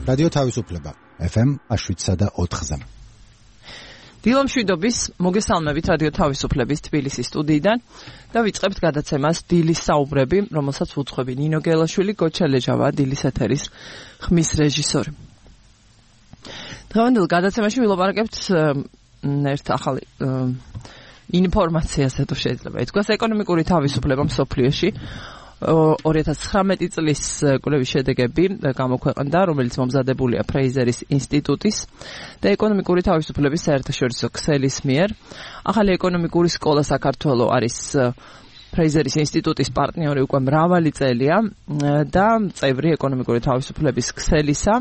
რადიო თავისუფლება FM 107.4-ზე. დილომშვიდობის მოგესალმებით რადიო თავისუფლების თბილისის სტუდიიდან და ვიწყებთ გადაცემას დილის საუბრები, რომელსაც უძღვები ნინო გელაშვილი, გოჩა ლეჟავა, დილის ეთერის ხმის რეჟისორი. დღევანდელ გადაცემაში ვილაპარაკებთ ერთ ახალ ინფორმაციაზე თუ შეიძლება ითქვას, ეკონომიკური თავისუფლება მსოფლიოში 2019 წლის კვლევის შედეგები გამოქვეყნდა, რომელიც მომზადებულია ფრეიზერის ინსტიტუტის და ეკონომიკური თავისუფლების საერთაშორისო ქსელის მიერ. ახალი ეკონომიკური სკოლა საქართველოს არის ფრეიზერის ინსტიტუტის პარტნიორი უკვე მრავალი წელია და წევრი ეკონომიკური თავისუფლების ქსელისა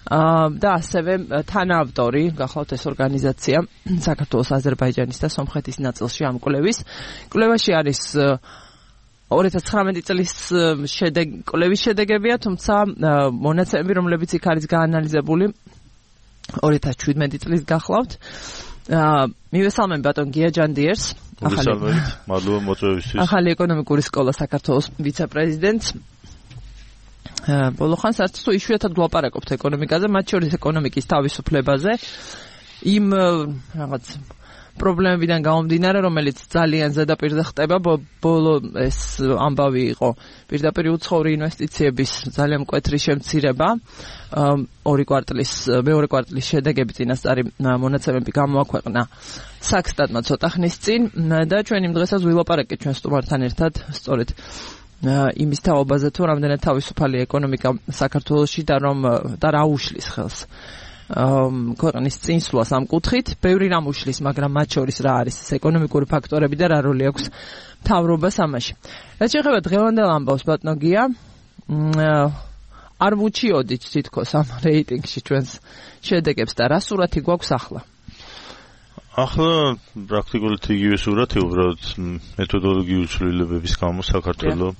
და ასევე თანაავტორი გახლავთ ეს ორგანიზაცია საქართველოს, აზერბაიჯანის და სომხეთის ნაწილში ამ კვლევის. კვლევაში არის 2019 წლის კვლევის შედეგებია, თუმცა მონაცემები, რომლებიც იქ არის გაანალიზებული 2017 წლის გახლავთ. მივესალმები ბატონ გია ჯანდიერს, მადლობა მოწვევისთვის. ახალი ეკონომიკური სკოლა საქართველოს ვიცე-პრეზიდენტს. ბოლოხანს არც თუ იშვიათად ვლაპარაკობთ ეკონომიკაზე, მათ შორის ეკონომიკის თავისუფლებაზე, იმ რაღაც პრობლემებიდან გამომდინარე, რომელიც ძალიან ზედაპირზე ხდება, ბოლო ეს ამბავი იყო პირდაპირ უცხოური ინვესტიციების ძალიან მკვეთრი შემცირება, მეორე კვარტლის შედეგები წინასწარი მონაცემები გამოაქვეყნა საქსტატმა ცოტა ხნის წინ და ჩვენ იმ დღესაც ვილაპარაკეთ ჩვენ სტუმართან ერთად სწორედ იმის თაობაზე თუ რამდენად თავისუფალია ეკონომიკა საქართველოში და რა უშლის ხელს ქვეყნის წინსვლას ამ კუთხით. ბევრი რამ უშლის, მაგრამ მათ შორის რა არის ეს ეკონომიკური ფაქტორები და რა როლი აქვს მთავრობას ამაში. რაც შეეხება დღევანდელ ამბავს, ბატონო გია, არ ვუჩიოდით თითქოს ამ რეიტინგში ჩვენს შედეგებს და რა სურათი გვაქვს ახლა? ახლა პრაქტიკულად იგივე სურათი, უბრალოდ მეთოდოლოგიური ცვლილებების გამო საქართველოს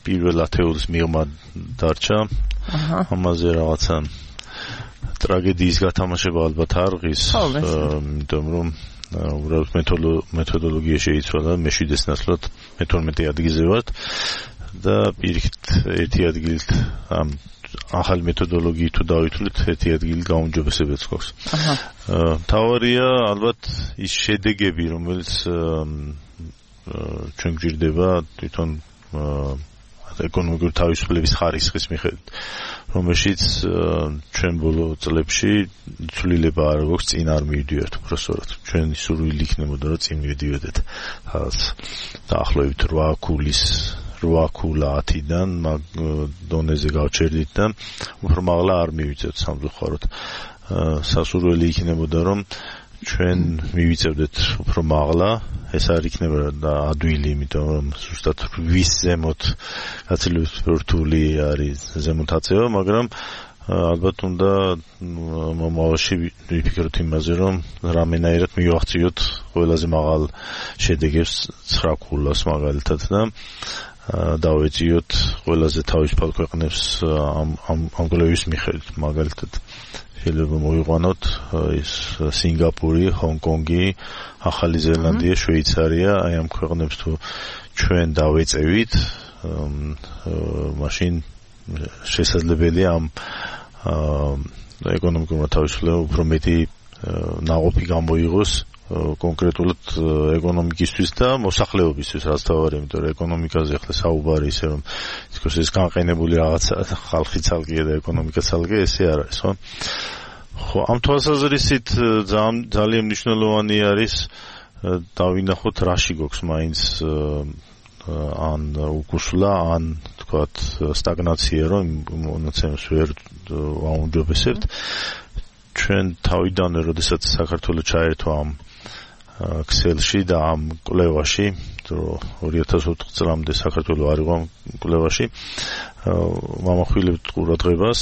პირველ 10-ს მიღმა დარჩა. ამაზე რაღაცა ტრაგედიის გათამაშება ალბათ არ ღირს, იმიტომ რომ უბრალოდ მეთოდოლოგია შეიცვალა, მე-7 ნაცვლად 12 ადგილზე ვართ და პირიქით ერთი ადგილით ამ ახალი მეთოდოლოგიით თუ დავითვლით, ერთი ადგილი გაუმჯობესებაც გვაქვს. მთავარია ალბათ ის შედეგები, რომელიც ჩვენ გვჭირდება თვითონ ეკონომიკური თავისუფლების ხარისხის მიხედვით, რომელშიც ჩვენ ბოლო წლებში ცვლილება არ გვაქვს, წინ არ მივიდივართ უბრალოდ. ჩვენი სურვილი იქნებოდა, რომ წინ მივიდივართ დაახლოებით 8 ქულა 10-დან დონეზე გავჩერდით და უფრო მაღლა არ მივიწევთ სამწუხაროდ. სასურველი იქნებოდა, რომ ჩვენ მივიწევდეთ უფრო მაღლა, ეს არ იქნება ადვილი, იმიტომ რომ ზუსტად 8 ზემოთ გაცილებით რთული არის ზემოთ აწევა, მაგრამ ალბათ უნდა მომავალში ვიფიქროთ იმაზე, რომ რამენაირად მივაღწიოთ ყველაზე მაღალ შედეგებს 9 ქულას მაგალითად და დავეწიოთ ყველაზე თავისუფალ ქვეყნებს ამ კვლევის მიხედვით, მაგალითად შეიძლება მოვიყვანოთ ის სინგაპური, ჰონკონგი, ახალი ზელანდია, შვეიცარია, აი ამ ქვეყნებს თუ ჩვენ დავეწევით, მაშინ შესაძლებელია ამ ეკონომიკურ თავისუფლებამ უფრო მეტი ნაყოფი გამოიღოს კონკრეტულად ეკონომიკისთვის და მოსახლეობისთვის, რაც თავარი, იმიტომ რომ ეკონომიკაზე ახლა საუბარი ისე რომ თქოს ეს განყენებული რაღაცა ხალხი ცალკეა და ეკონომიკა ცალკე, ესე არ არის, ხო? ხო, ამ თვალსაზრისით ძალიან მნიშვნელოვანი არის დავინახოთ რაში გვაქვს მაინც ან უკუსლა, ან თქვათ სტაგნაცია, რომ მონაცემებს ვერ აუმჯობესებთ. ჩვენ თავიდანვე, როდესაც საქართველოს ჩაერთვა ამ ქსელში და ამ კვლევაში, 2004 წლამდე საქართველოს არ იყო ამ კვლევაში, მამახვილებთ ყურადღებას,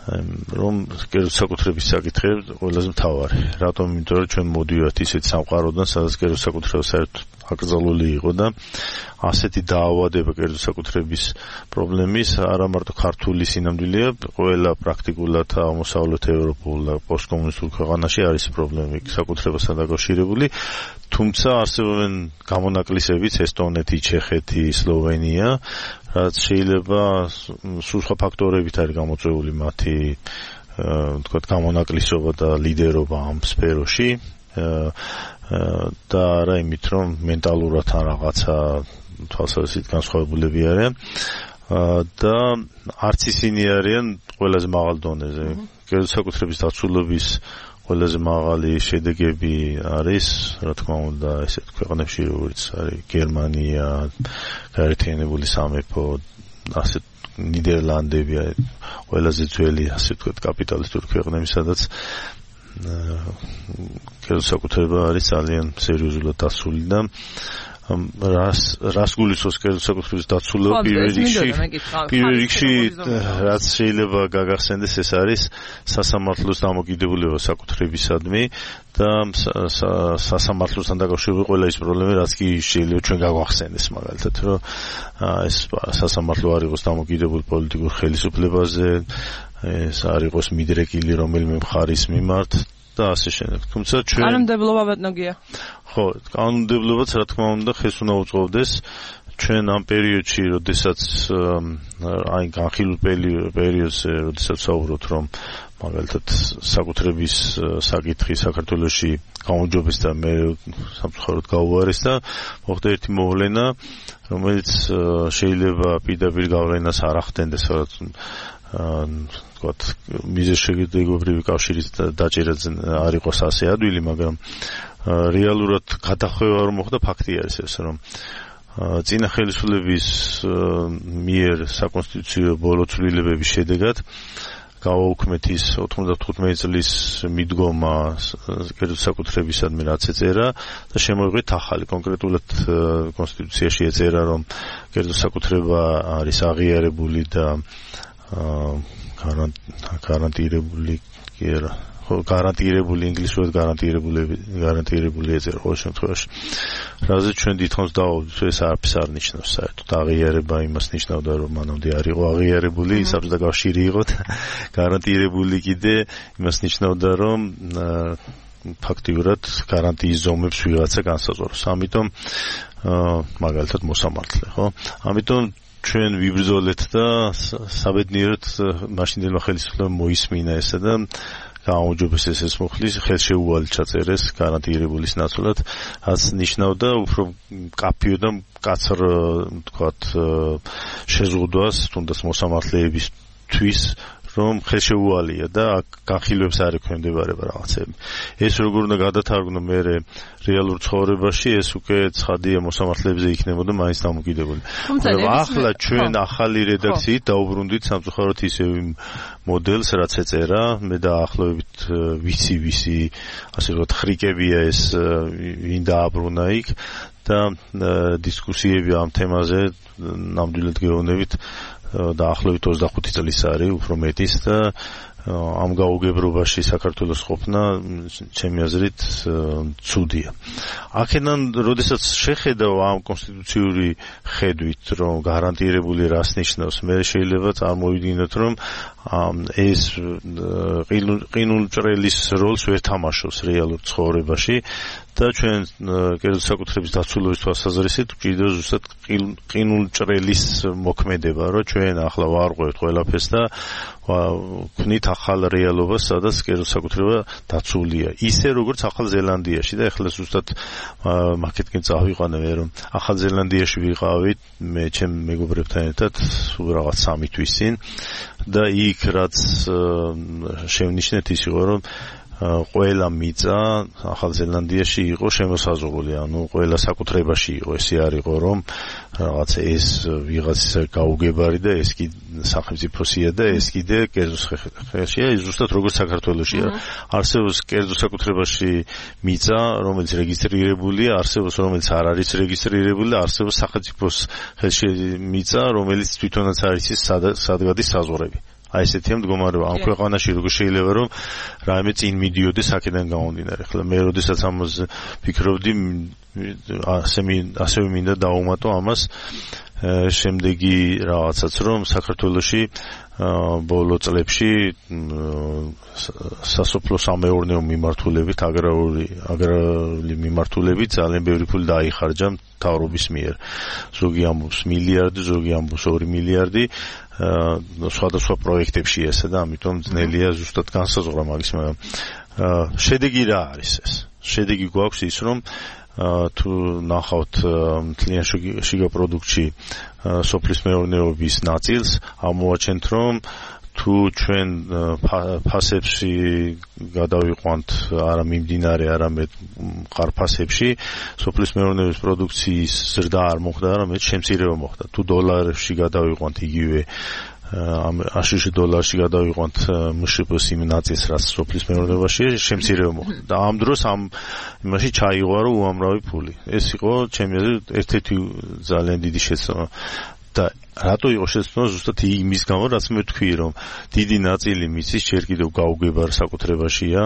რომ კერძო-საკუთრების საკითხები ყველაზე მთავარი. რატომ? იმიტომ რომ ჩვენ მოდივართ ისეთ სამყაროდან, სადაც კერძო-საკუთრება საერთოდ აკრძალული იყო და ასეთი დაავადება კერძო საკუთრების პრობლემის არა მარტო ქართული სინამდვილეა, ყველა პრაქტიკულად აღმოსავლეთ ევროპულ და პოსტკომუნისტურ ქვეყანაში არის პრობლემები საკუთრებასთან დაკავშირებული, თუმცა არსებობენ გამონაკლისებიც ესტონეთი, ჩეხეთი, სლოვენია, რაც შეიძლება სხვა ფაქტორებით არის გამოწვეული მათი თქვათ გამონაკლისობა და ლიდერობა ამ სფეროში და არა იმით რომ მენტალურად ან რაღაცა თვალსაზრისით განსხვავებულები არიან და არც ისინი არიან ყველაზე მაღალ დონეზე. კერძო საკუთრების დაცულობის ყველაზე მაღალი შედეგები არის, რა თქმა უნდა, ესეთ ქვეყნებში, როგორც არის გერმანია, გაერთიანებული სამეფო, ასეთ ნიდერლანდები, ყველაზე ძველი, ასე ვთქვათ, კაპიტალისტური ქვეყნები, სადაც კერძო საკუთრება არის ძალიან სერიოზულად დაცული და რას გულისხმობს კერძო საკუთრების დაცულობა პირველ რიგში რაც შეიძლება გაგახსენდეს ეს არის სასამართლოს დამოკიდებულება საკუთრებისადმი და სასამართლოსთან დაკავშირებული ყველა ის პრობლემები რაც კი შეიძლება ჩვენ გაგვახსენდეს მაგალითად რომ ეს სასამართლო არ იყოს დამოკიდებული პოლიტიკურ ხელისუფლებაზე ეს არ იყოს მიდრეკილი რომელიმე მხარის მიმართ და ასე შემდეგ. თუმცა ჩვენ კანონმდებლობა ბატონგია. ხო, კანონმდებლობაც რა თქმა უნდა ხეს უნდა უწყობდეს ჩვენ ამ პერიოდში, როდესაც აი განხილულ პერიოდზე, როდესაც საუბრობთ რომ მაგალითად საკუთრების საკითხი საქართველოში გაუმჯობეს და მე სამწუხაროდ გაუარეს და მოხდა ერთი მოვლენა, რომელიც შეიძლება პირდაპირ გავლენას არ ახდენდეს, თქვათ მიზეშეგებრივი კავშირის დაჭერაც არ იყოს ასე ადვილი, მაგრამ რეალურად გადახვევა რომ მოხდა ფაქტი არის ეს რომ წინა ხელისუფლების მიერ საკონსტიტუციო ბოლო ცვლილებების შედეგად გააუქმეთ ის 95 წლის მიდგომა კერძო საკუთრებისადმი რაც ეწერა და შემოიღეთ ახალი კონკრეტულად კონსტიტუციაში ეწერა რომ კერძო საკუთრება არის აღიარებული და გარანტირებული კი არა გარანტირებული ინგლისურად გარანტირებული ეწერა ყოველ შემთხვევაში რაზე ჩვენ დიდხანს დავავდით ეს არაფერს არ ნიშნავს საერთოდ აღიარება იმას ნიშნავდა რომ მანამდე არ იყო აღიარებული საბჭოთა კავშირი იყო გარანტირებული კიდე იმას ნიშნავდა რომ ფაქტიურად გარანტიის ზომებს ვიღაცა განსაზღვროს ამიტომ მაგალითად მოსამართლე ხო ამიტომ ჩვენ ვიბრძოლეთ და საბედნიეროდ მაშინდელმა ხელისუფლებამ მოისმინა ესა და გააუმჯობეს ეს მუხლის ხელშეუვალი ჩაწერეს გარანტირებულის ნაცვლად, რაც ნიშნავდა უფრო მკაფიო და მკაცრ თქვათ შეზღუდვას თუნდაც მოსამართლეებისთვის რომ ხელშეუვალია და განხილვებს არ ექვემდებარება რაღაცები. ეს როგორ უნდა გადათარგმნო მე რეალურ ცხოვრებაში, ეს უკვე ცხადია მოსამართლეებზე იქნებოდა მაინც დამოკიდებული. ახლა ჩვენ ახალი რედაქციით დაუბრუნდით სამწუხაროდ ისევ იმ მოდელს, რაც ეწერა, მე დაახლოებით ვიცი, ასე ვთქვათ, ხრიკებია ეს ვინ დააბრუნა იქ და დისკუსიები ამ თემაზე ნამდვილად გეუბნებით დაახლოებით 25 წლის არის, უფრო მეტის და ამ გაუგებრობაში საქართველოს ყოფნა ჩემი აზრით ცუდია. აქედან, როდესაც შეხედავ ამ კონსტიტუციური ხედვით, რომ გარანტირებული რას ნიშნავს, მე შეიძლება წარმოვიდგინოთ, რომ ეს ყინულჭრელის როლს ვერ თამაშობს რეალურ ცხოვრებაში და ჩვენ კერძო საკუთრების დაცულობის თვალსაზრისით გვჭირდება ზუსტად ყინულჭრელის მოქმედება, რომ ჩვენ ახლა ვარღვევთ ყველაფერს და ვქნით ახალ რეალობას, სადაც კერძო საკუთრება დაცულია. ისე როგორც ახალ ზელანდიაში და ეხლა ზუსტად მაკეთკენ წავიყვანე რომ ახალ ზელანდიაში ვიყავით მე ჩემ მეგობრებთან ერთად რაღაც 3 თვის წინ და იქ რაც შევნიშნეთ ის იყო რომ ყველა მიწა ახალ ზელანდიაში იყო შემოსაზღვრული, ანუ ყველა საკუთრებაში იყო, ესე არ იყო რომ რაღაც ეს ვიღაცის გაუგებარი და ეს კი სახელმწიფოსია და ეს კიდე კერძო ხელშია, ზუსტად როგორც საქართველოშია. არსებობს კერძო საკუთრებაში მიწა, რომელიც რეგისტრირებულია, არსებობს რომელიც არ არის რეგისტრირებული, არსებობს სახელმწიფოს ხელში მიწა, რომელიც თვითონაც არის ის სად გადის საზღვრები. აი ესეთია მდგომარეობა ამ ქვეყანაში როგორ შეიძლება რომ რაიმე წინ მიდიოდეს აქედან გამომდინარე. ხლა მე როდესაც ამაზე ფიქრობდი ასევე მინდა დავუმატო ამას შემდეგი რაღაცაც რომ საქართველოში ბოლო წლებში სასოფლო-სამეურნეო მიმართულებით აგრარული მიმართულებით ძალიან ბევრი ფული დაიხარჯა მთავრობის მიერ. ზოგი ამბობს მილიარდი, ზოგი ამბობს 2 მილიარდი სხვადასხვა პროექტებში ესა და ამიტომ ძნელია ზუსტად განსაზღვრა მაგის, მაგრამ შედეგი რა არის ეს? შედეგი გვაქვს ის რომ თუ ნახავთ მთლიან შიგა პროდუქტში სოფლის მეურნეობის ნაწილს, ამოვაჩენთ რომ თუ ჩვენ ფასებში გადავიყვანთ არა მიმდინარე, არამედ მყარ-ფასებში, სოფლის მეურნეობის პროდუქციის ზრდა არ მოხდა, არამედ შემცირება მოხდა. თუ დოლარებში გადავიყვანთ იგივე $100 გადავიყვანთ მშპ-ს იმ ნაწილს, რაც სოფლის მეურნეობაში შემცირება მოხდა. და ამ დროს იმაში ჩაიღვარო უამრავი ფული. ეს იყო ჩემი აზრით ერთ-ერთი ძალიან დიდი შეცდომა. და რატო იყო შეცდომა? ზუსტად იმის გამო, რაც მე ვთქვი, რომ დიდი ნაწილი მიწის ჯერ კიდევ გაუგებარ საკუთრებაშია,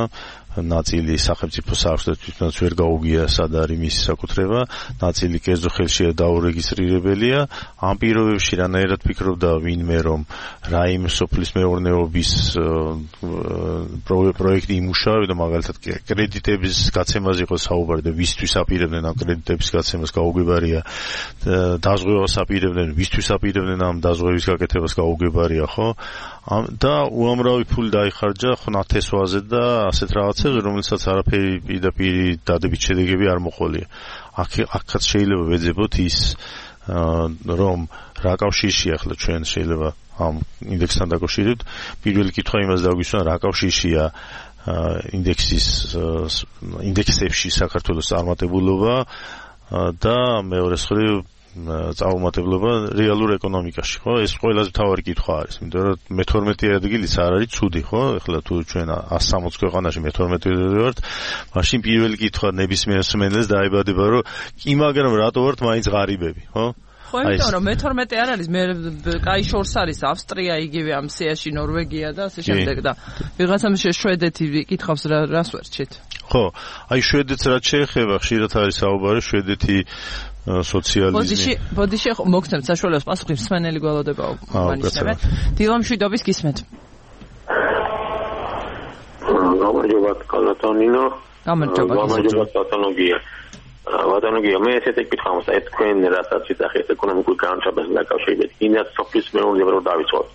ნაწილი სახელმწიფო აქვს და თვითონაც ვერ გაუგია სად არის მისი საკუთრება, ნაწილი კერძო ხელშია დაურეგისტრირებელია. ამ პირობებში რანაირად ფიქრობდა ვინმე რომ რაიმე სოფლის მეურნეობის პროექტი იმუშავებდა, მაგალითად კრედიტების გაცემაზე იყო საუბარი და ვისთვის აპირებდნენ ამ კრედიტების გაცემას გაუგებარია, დაზღვევას აპირებდნენ, ვისთვის აპირებდნენ ამ დაზღვევის გაკეთებას გაუგებარია, ხო? და უამრავი ფული დაიხარჯა ხნათესვაზე და ასეთ რაღაცებზე, რომელსაც არაფერი პირდაპირ დადებით შედეგები არ მოყოლია. აქაც შეიძლება ვეძებოთ ის რომ რა კავშირშია ახლა ჩვენ შეიძლება ამ ინდექსთან დაკავშირებით. პირველი კითხვა იმას დაგვისვან, რა კავშირშია ინდექსებში საქართველოს წარმატებულობა და მეორე მხრივ წარუმატებლობა რეალურ ეკონომიკაში, ხო? ეს ყველაზე მთავარი კითხვა არის, იმიტომ რომ მე-12 ადგილიც არ არის ცუდი, ხო? ეხლა თუ ჩვენ 160 ქვეყანაში მე-12 ვართ, მაშინ პირველი კითხვა ნებისმიერ მსმენელს დაებადება, რომ კი, მაგრამ რატო ვართ მაინც ღარიბები, ხო? ხო, იმიტომ რომ მე-12 არ არის, მე კაი შორს არის ავსტრია, იგივე ამ სიაში ნორვეგია და ასე შემდეგ და ვიღაცამ შვედეთი კითხავს რას ვერჩით. ხო, აი შვედეთს რაც შეეხება, ხშირად არის საუბარი შვედეთი სოციალიზმი. ბოდიში მოგცემთ საშუალებას პასუხი მსმენელი გველოდება მანიშნებენ. დილამშვიდობის გისმენთ. გამარჯობა კალატონინო. გამარჯობა კალატონოგია. ვატანოგია, მე ესეთი კითხავს, აი თქვენ რასაც ვიტახეთ ეკონომიკურ განვითარებასთან დაკავშირებით, იმას სოფლის მეურნეობა რო დავიწყოთ.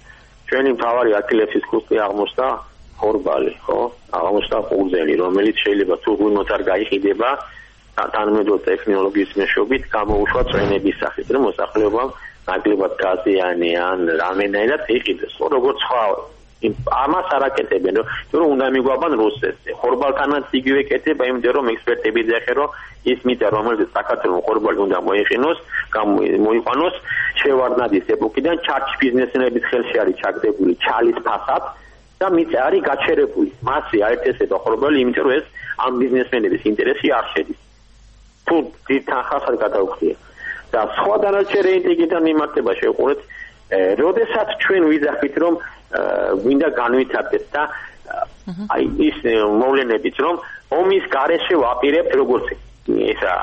ჩვენი მთავარი აქილევსის ქუსტი აღმოჩნდა ხორბალი, ხო? აღმოჩნდა ყურძენი, რომელიც შეიძლება თუ გუნდს არ გაიყიდება თანამედროვე ტექნოლოგიის მეშვეობით გამოუშვა წვენების სახით, რომ მოსახლეობამ ნაკლებად გაზიანი ან რამენაირად იყიდეს. ხო, როგორც სხვა ამას არ აკეთებენ, რომ უნდა მიგვაბან რუსეთს. ხორბალთანაც იგივე კეთება, იმიტომ რომ ექსპერტები ძახენ, რომ ის მიწა, რომელიც საქართველოს ხორბალი უნდა მოიყვანოს, შევარდნადის ეპოქიდან ჩარჩ ბიზნესმენების ხელში არის ჩაგდებული ჩალის ფასად და მიწა არის გაჩერებული. მასზე აერთესება ხორბალი, იმიტომ რომ ეს ამ ბიზნესმენების ინტერესი არ შედის. თუ თანხასაც გადაუხდია და სხვა დანარჩენი ინტეგრიტან მიმართება შევყურეთ, როდესაც ჩვენ ვიძახით რომ გვინდა განვითარდეს და აი ის მოვლენებით რომ ომის გარეშე ვაპირებთ როგორც ესა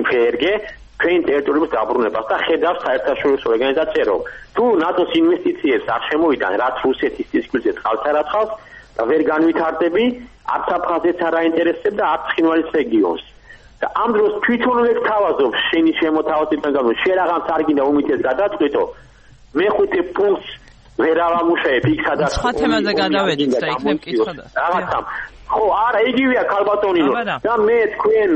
ფერგე ჩვენ ტერიტორიების დაბრუნებას და ხედავს საერთაშორისო ორგანიზაცია რომ თუ ნატოს ინვესტიციებს არ შემოვიდან რაც რუსეთის თითქმის წყალსარაცხავს და ვერ განვითარდები არც აფხაზეთს არ აინტერესებს და არც ცხინვალის რეგიონს და ამ დროს თვითონვე თავაზობ შენი შემოთავაზებიდან გამო შერაღამს არ გინდა უმიტეს გადაწყვეტო მეხუთე პუნქტს ვერ ავამუშავებ იქ სადაც სხვა თემაზე გადავედით და იქნებ კითხვა და რაღაცა ხო არა იგივეა ქალბატონინო და მე თქვენ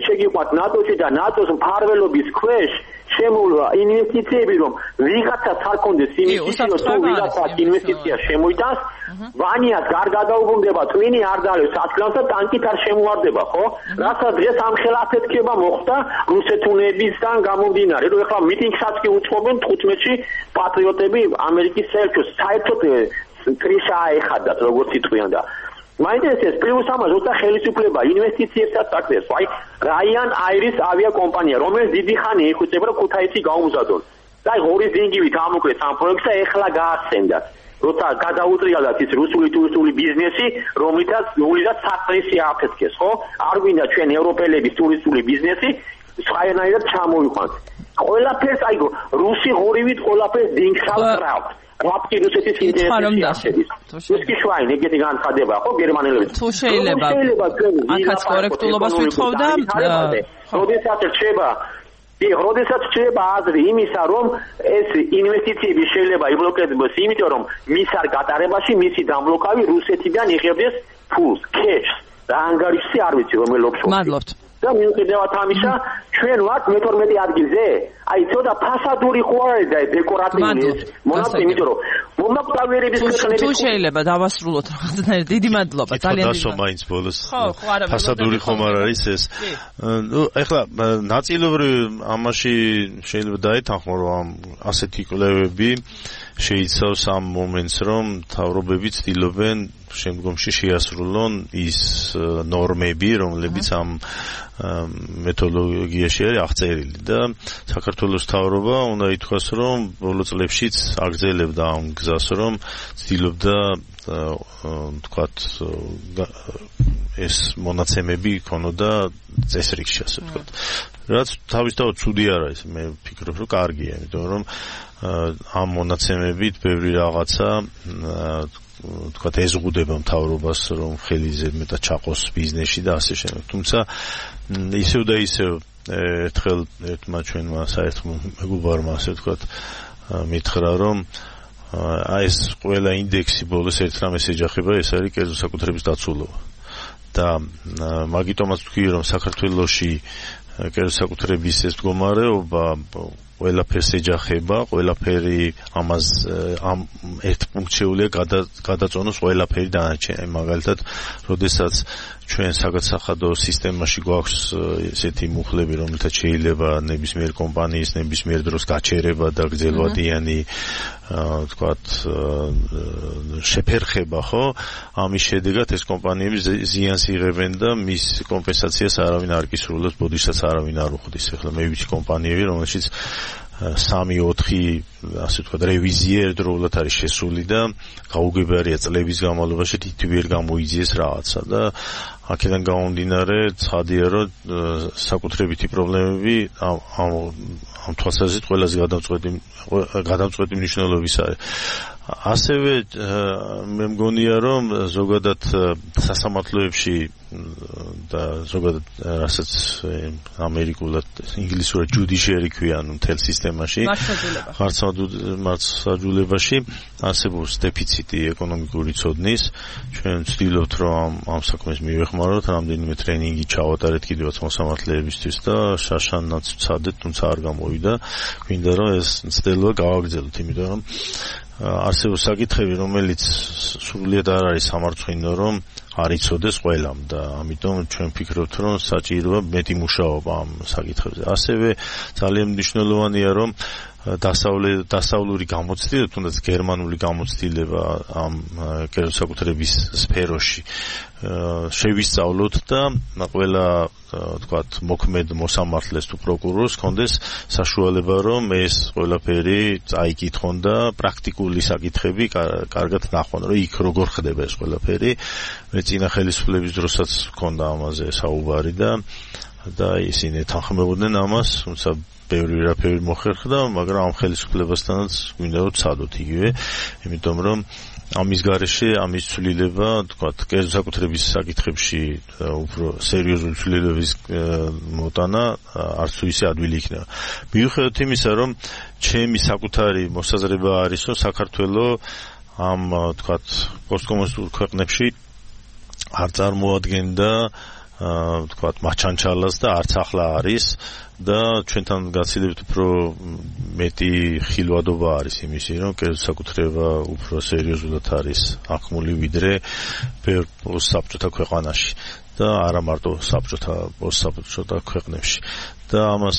შეგიყვათ ნატოში და ნატოს მფარველობის ქვეშ შემოვა ინვესტიციები რომ ვიღაცას არ კონდეს ინვესტიციო თუ ვიღაცას ინვესტიცია შემოიტანს ვანიას არ გადაუბრუნდება twin-ი არ დალევს ათკლავს და ტანკით არ შემოვარდება ხო რასაც დღეს ამ ხელაფეთქება მოხდა რუსეთუნებისგან გამომდინარე რომ ეხლა მიტინგსაც კი უწყობენ 15-ში პატრიოტები ამერიკის საერთოდ კრიშა აეხადათ როგორც იტყვიან და მაინტერესებს პლუს ამას უცა ხელისუფლება ინვესტიციებსაც აკეთებს. აი რაიან აირის ავიაკომპანია, რომელიც დიდი ხანი ეხუწება რომ ქუთაისში გაუმზადონ. და აი ღორის დინგივით ამოკლეს ამ პროექტს და ეხლა გაასცენდათ. როცა გადაუტრიალდათ ის რუსული ტურისტული ბიზნესი, რომლითაც ნულიდან საფრთხე აფეთქეს, ხო? არ გვინდა ჩვენ ევროპელების ტურისტული ბიზნესი სხვანაირად ჩამოვიყვანთ. ყველაფერს აი რუსი ღორივით ყველაფერს დინგსავთ. რაფტი რუსეთის ინტერესებში აღწევს. ისკი შვაინ ეგეთი განცხადება ხო გერმანელებს. თუ შეიძლება აქაც კორექტულობას ვითხოვ და როდესაც რჩება აზრი იმისა, რომ ეს ინვესტიციები შეიძლება იბლოკდეს, იმიტომ რომ მის არ გატარებაში მისი დამბლოკავი რუსეთიდან იღებდეს ფულს, cash. და ანგარიშზე არ ვიცი რომელ ოფშორში. მადლობთ. და მიუხედავად ამისა, ჩვენ ვართ მე-12 ადგილზე. აი ცოტა ფასადური ხო არის და დეკორატიული მონაცემი, იმიტომ რომ მომაკვდავიერების ქვეყნების თუ შეიძლება დავასრულოთ რაღაცნაირად. დიდი მადლობა, ძალიან დიდი. დასო მაინც ბოლოს. ფასადური ხომ არ არის ეს. ნუ ეხლა ნაწილობრივ ამაში შეიძლება დაეთანხმო, რომ ასეთი კვლევები შეიცავს ამ მომენტს, რომ მთავრობები ცდილობენ შემდგომში შეასრულონ ის ნორმები, რომლებიც ამ მეთოდოლოგიაში არის აღწერილი და საქართველოს მთავრობა უნდა ითქვას, რომ ბოლო წლებშიც აგრძელებდა ამ გზას, რომ ცდილობდა თქვათ ეს მონაცემები იქონოდა წესრიგში, ასე ვთქვათ. რაც თავისთავად ცუდი არ არის, მე ვფიქრობ, რომ კარგია, იმიტომ რომ ამ მონაცემებით ბევრი რაღაცა თქვათ ეზღუდება მთავრობას, რომ ხელი ზედმეტად ჩაყოს ბიზნესში და ასე შემდეგ. თუმცა ისევ და ისევ ერთხელ ერთმა ჩვენმა საერთო მეგობარმა ასე ვთქვათ მითხრა, რომ აი ეს ყველა ინდექსი ბოლოს ერთ რამეს ეჯახება, ეს არის კერძო საკუთრების დაცულობა. და მაგიტომაც ვთქვი, რომ საქართველოში კერძო საკუთრების ეს მდგომარეობა ყველაფერს ეჯახება, ყველაფერი ამას ამ ერთ პუნქტშეულია გადაწონოს ყველაფერი დანარჩენი. მაგალითად, როდესაც ჩვენ საგადასახადო სისტემაში გვაქვს ესეთი მუხლები, რომელთაც შეიძლება ნებისმიერ კომპანიის ნებისმიერ დროს გაჩერება და გრძელვადიანი თქვათ შეფერხება, ხო? ამის შედეგად ეს კომპანიები ზიანს იღებენ და მის კომპენსაციას არავინ არ კისრულებს, ბოდიშსაც არავინ არ უხდის. ახლა მე ვიცი კომპანიები, რომელშიც 3-4 ასე ვთქვათ რევიზია ერთდროულად არის შესული და გაუგებარია წლების განმავლობაში თითქმის გამოიძიეს რაღაცა და აქედან გამომდინარე ცხადია, რომ საკუთრებითი პრობლემები ამ თვალსაზრისით ყველაზე გადამწყვეტი მნიშვნელობის არის. ასევე მე მგონია, რომ ზოგადად სასამართლოებში და ზოგადად რასაც ამერიკულად ინგლისურად judiciary ქვიან მთელ სისტემაში მართლმსაჯულებაში არსებობს დეფიციტი ეკონომიკური ცოდნის. ჩვენ ვცდილობთ, რომ ამ საქმეს მივეხმაროთ, რამდენიმე ტრენინგი ჩავატარეთ კიდევაც მოსამართლეებისთვის და შაშანაც ვცადეთ, თუმცა არ გამოვიდა. გვინდა რომ ეს მცდელობა გავაგრძელოთ, იმიტომ რომ არსებობს საკითხები, რომელიც სრულიად არ არის სამარცხვინო, რომ არ იცოდეს ყველამ და ამიტომ ჩვენ ვფიქრობთ, რომ საჭიროა მეტი მუშაობა ამ საკითხებზე. ასევე ძალიან მნიშვნელოვანია, რომ დასავლური გამოცდილება, თუნდაც გერმანული გამოცდილება ამ კერძო საკუთრების სფეროში შევისწავლოთ და ყველა თქვათ მოქმედ მოსამართლეს თუ პროკურორს კონდეს საშუალება, რომ ეს ყველაფერი წაიკითხონ და პრაქტიკული საკითხები კარგად ნახონ, რომ იქ როგორ ხდება ეს ყველაფერი. მე წინა ხელისუფლების დროსაც მქონდა ამაზე საუბარი და ისინი თანხმობდნენ ამას, თუმცა ბევრი რაფერი მოხერხდა, მაგრამ ამ ხელისუფლებასთანაც გვინდა რომ ვცადოთ იგივე, იმიტომ რომ ამის გარეშე ამის ცვლილება, თქვათ, კერძო საკუთრების საკითხებში უფრო სერიოზული ცვლილებების მოტანა არც თუ ისე ადვილი იქნება. მიუხედავად იმისა, რომ ჩემი საკუთარი მოსაზრება არის, რომ საქართველოს ამ თქვათ პოსტკომუნისტურ ქვეყნებში არ წარმოადგენდა თქვათ მაჩანჩალას და არც ახლა არის და ჩვენთან გაცილებით უფრო მეტი ხილვადობა არის იმისი, რომ კერძო საკუთრება უფრო სერიოზულად არის აღქმული ვიდრე ბევრ საბჭოთა ქვეყანაში და არა მარტო საბჭოთა ქვეყნებში. და ამას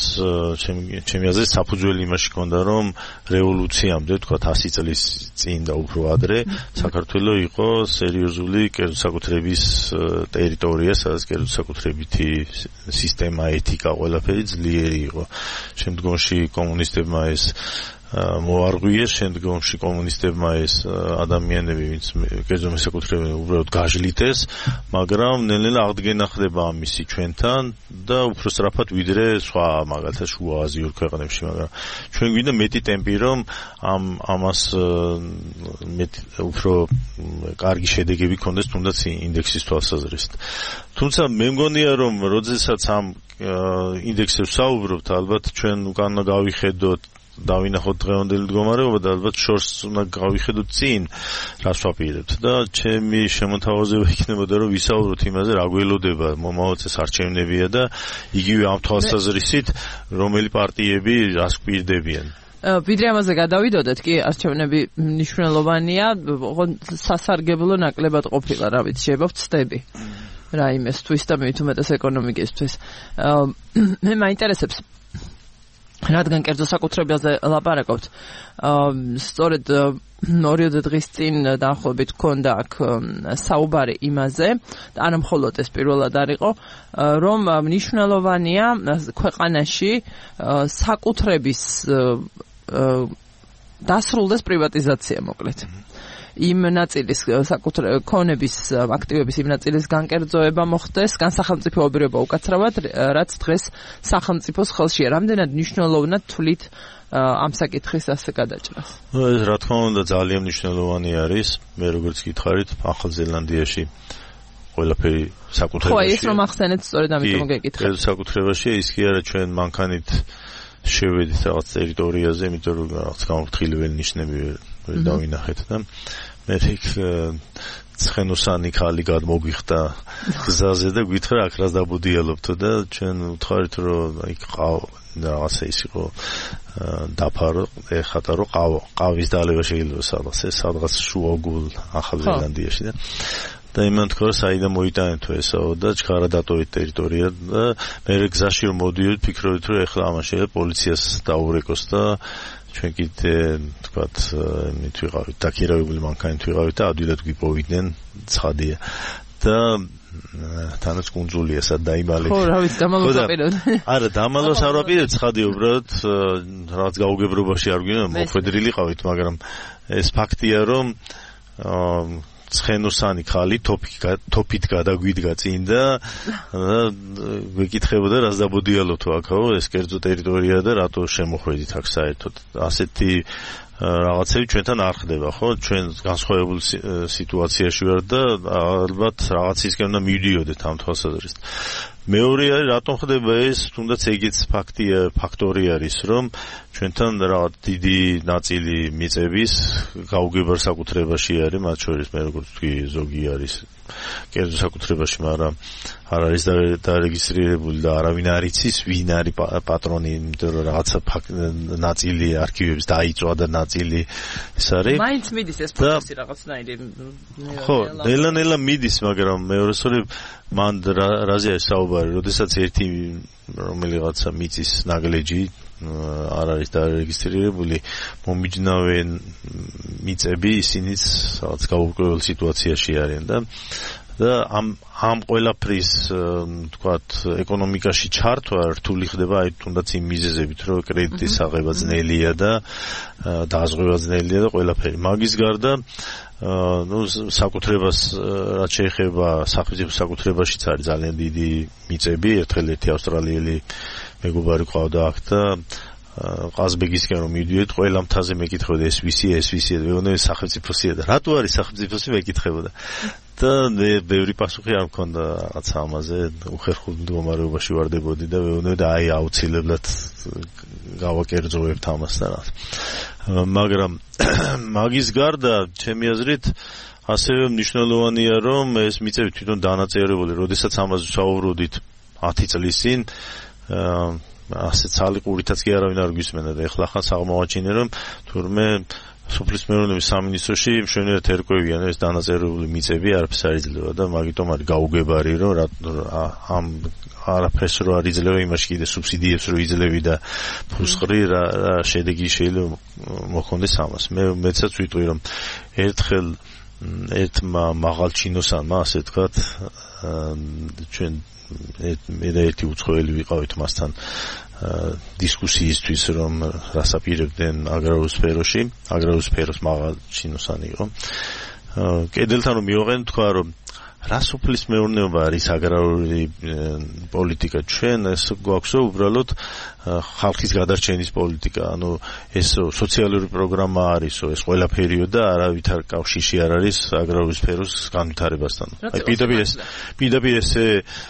ჩემი აზრით საფუძველი იმაში ჰქონდა, რომ რევოლუციამდე, თქვათ 100 წლის წინ და უფრო ადრე, საქართველოს იყო სერიოზული კერძო საკუთრების ტერიტორია, სადაც კერძო საკუთრებითი სისტემა, ეთიკა, ყველაფერი ძლიერი იყო. შემდგომში კომუნისტებმა ეს მოარღვიეს შემდგომში კომუნისტებმა ეს ადამიანები, ვინც კერძო მესაკუთრებელნი უბრალოდ გაჟლიტეს, მაგრამ ნელ-ნელა აღდგენა ხდება ამისი ჩვენთან და უფრო სწრაფად ვიდრე სხვა მაგალითად შუა აზიურ ქვეყნებში, მაგრამ ჩვენ გვინდა მეტი ტემპი, რომ ამას მეტი უფრო კარგი შედეგები ქონდეს თუნდაც ინდექსის თვალსაზრისით. თუმცა მე მგონია, რომ როდესაც ამ ინდექსებს საუბრობთ, ალბათ ჩვენ უკან გავიხედოთ დავინახოთ დღევანდელი მდგომარეობა და ალბათ შორს უნდა გავიხედოთ წინ რას ვაპირებთ და ჩემი შემოთავაზება იქნებოდა რომ ვისაუბროთ იმაზე რა გველოდება მომავალ წელს არჩევნებია და იგივე ამ თვალსაზრისით რომელი პარტიები რას გვირდებიან. ვიდრე ამაზე გადავიდოდეთ კი არჩევნები მნიშვნელოვანია, სასარგებლო ნაკლებად ყოფილა, რა ვიცი, შეიძლება ვწდები რაიმესთვის და მით უმეტეს ეკონომიკისთვის. მე მაინტერესებს რადგან კერძო საკუთრებაზე ლაპარაკობთ, სწორედ 2 დღის წინ დაახლოებით ჰქონდა აქ საუბარი იმაზე, არა მხოლოდ ეს პირველად არ იყო, რომ მნიშვნელოვანია ქვეყანაში საკუთრების დასრულდეს პრივატიზაცია, მოკლედ. იმ ნაწილის ქონების აქტივების იმ ნაწილის განკერძოება მოხდეს, განსახელმწიფოებრივება უკაცრავად, რაც დღეს სახელმწიფოს ხელშია. რამდენად მნიშვნელოვნად თვლით ამ საკითხის ასე გადაჭრას? ეს რა თქმა უნდა ძალიან მნიშვნელოვანი არის. მე როგორც გითხარით, ახალ ზელანდიაში ყველაფერი საკუთრებაში. ხო, ეს რომ ახსენეთ, სწორედ ამიტომ გეკითხეთ. საკუთრებაში ის კი არა ჩვენ მანქანით შევედით რაღაც ტერიტორიაზე, იმიტომ რომ რაღაც გამოფრთხილებელი ნიშნები ვერ დავინახეთ და მე იქ ცხენოსანი ქალი გადმოგვიხდა გზაზე და გითხრა აქ რას დაბუდიალობთო და ჩვენ ვთქვარით რომ იქ რაღაცა ის იყო დაფარო ეხატა რომ ყავის დალევა შეიძლება სადღაც შუაგულ ახალ ზელანდიაში და იმან თქვა საიდან მოიტანეთო ესაო და ჩქარა დატოვეთ ტერიტორია და მე გზაში რომ მოდიოდ ფიქრობთ რომ ეხლა ამას შეიძლება პოლიციას დაურეკოს და ჩვენ კიდე თქვათ იმით ვიყავით დაქირავებული მანქანით ვიყავით და ადვილად გვიპოვიდნენ ცხადია და თანაც კუნძულია სად დაიმალეთ. ხო, რა ვიცი, დამალოს აპირებთ. არა, დამალოს არ ვაპირებთ, ცხადია, უბრალოდ რაღაც გაუგებრობაში არ გვინდა, მოხვედრილი ყავით, მაგრამ ეს ფაქტია, რომ ცხენოსანი ხალი თოფით გადაგვიდგა წინ და ვეკითხებოდა რას დაბოდიალოთ აქაო, ეს კერძო ტერიტორია და რატო შემოხვედით აქ საერთოდ. ასეთი რაღაცები ჩვენთან არ ხდება, ხო? ჩვენ განსხვავებულ სიტუაციაში ვართ და ალბათ რაღაცისკენ უნდა მივიდიოდეთ ამ თვალსაზრისით. მეორე არის რატომ ხდება ეს, თუნდაც ეგეც ფაქტორი არის, რომ ჩვენთან რაღაც დიდი ნაწილი მიწების გაუგებრ საკუთრებაში არის, მათ შორის მე როგორც ვთქვი, ზოგი არის კერძო საკუთრებაში, მაგრამ არ არის დარეგისტრირებული და არავინ არ იცის ვინ არის პატრონი, იმიტომ რომ რაღაცა ნაწილი არქივების დაიწვა და ნაწილი ეს არის. მაინც მიდის ეს პროცესი რაღაცნაირი. ხო, ნელა მიდის, მაგრამ მეორესწორი მან რაზეა საუბარი, როდესაც ერთი რომელიღაცა მიწის ნაგლეჯი არ არის დარეგისტრირებული, მომიჯნავე მიწები ისინიც რაღაც გაურკვეველ სიტუაციაში არიან და ამ ყველაფრის თქვათ ეკონომიკაში ჩართვა რთული ხდება აი თუნდაც იმ მიზეზებით, რომ კრედიტის აღება ძნელია და დაზღვევა ძნელია და ყველაფერი. მაგის გარდა საკუთრებას რაც შეეხება სახელმწიფო საკუთრებაშიც არის ძალიან დიდი მიწები. ერთხელ ერთი ავსტრალიელი მეგობარი ყავდა აქ და ყაზბეგისკენ რომ მივიდიოდით, ყველა მთაზე მეკითხებოდა ეს ვისია და ვეუბნები სახელმწიფოსია და რატო არის სახელმწიფოსი მეკითხებოდა. და ბევრი პასუხი არ მქონდა რაღაცა ამაზე, უხერხულ მდგომარეობაში ვარდებოდი და ვეუბნები აი აუცილებლად გავაკერძოებთ ამას და რა. მაგრამ მაგის გარდა ჩემი აზრით ასევე მნიშვნელოვანია რომ ეს მიწები თვითონ დანაწევრებული, როდესაც ამაზე საუბრობდით 10 წლის წინ ასე ცალიყურითაც კი არავინ არ გვისმენდა და ეხლა ხან აღმოვაჩინე რომ თურმე სოფლის მეურნეობის სამინისტროში მშვენივრად ერკვევიან ეს დანაწევრებული მიწები არაფერს არ იძლევა და მაგიტომ არის გაუგებარი რომ ამ არაფერს რო არ იძლევა იმაში კიდე სუბსიდიებს რო იძლევი და ფუსყრი რა შედეგი შეიძლება მოხონდეს ამას. მეცაც ვიტყვი რომ ერთხელ ერთმა მაღალჩინოსანმა ასე ვთქვათ ჩვენ მე და ერთი უცხოელი ვიყავით მასთან დისკუსიისთვის რომ რასაპირებდნენ აგრარულ სფეროში, აგრარულ სფეროს მაღალჩინოსანი იყო. კედელთან რომ მივაყენოთ თქვა რომ რა სოფლის მეურნეობა არის აგრარული პოლიტიკა ჩვენ ეს გვაქვს უბრალოდ ხალხის გადარჩენის პოლიტიკა ანუ ეს სოციალური პროგრამა არისო ეს ყველაფერიო და არავითარ კავშირში არ არის აგრარული სფეროს განვითარებასთან აი პირდაპირ ესე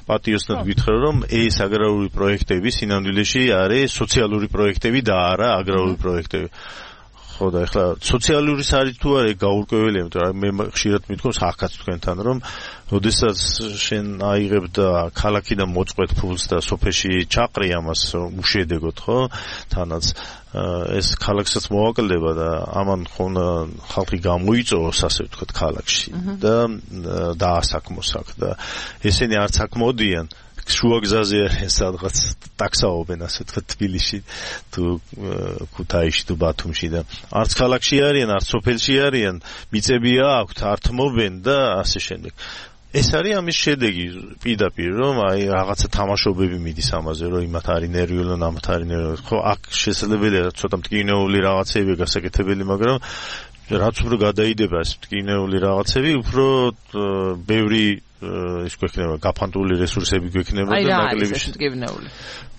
პატიოსნად გითხრა რომ ეს აგრარული პროექტები სინამდვილეში არის სოციალური პროექტები და არა აგრარული პროექტები ხო და ეხლა სოციალური არის თუ არა გაურკვეველია იმიტომ რომ მე ხშირად მithქვამს ახაც თქვენთან რომ როდესაც შენ აიღებ და ქალაქიდან მოწყვეტ ფულს და სოფეში ჩაყრი ამას უშედეგოთ ხო თანაც ეს ქალაქსაც მოვაკლდება და ამან ხონა ხალხი გამოიწოვოს ასე ვთქვათ ქალაქში და დაასაქმოს აქ და ესენი არც აქ მოდიან შუაგზაზე არის სადღაც ტაქსაობენ ასე თქვა თბილისში თუ ქუთაისში თუ ბათუმში და არც ქალაქში არიან არც სოფელში არიან მიწები აქვთ ართმობენ და ასე შემდეგ ეს არის ამის შედეგი პირდაპირ რომ აი რაღაცა თამაშობები მიდის ამაზე რომ იმათ არის ნერვიულო ამათ არის ნერვიულო ხო აქ შესაძლებელია ცოტა მტკივნეული რაღაცები გასაკეთებელი მაგრამ რაც უფრო გადაიდება ეს მტკივნეული რაღაცები უფრო ბევრი ის გვექნება გაფანტული რესურსები გვექნება და ნაკლები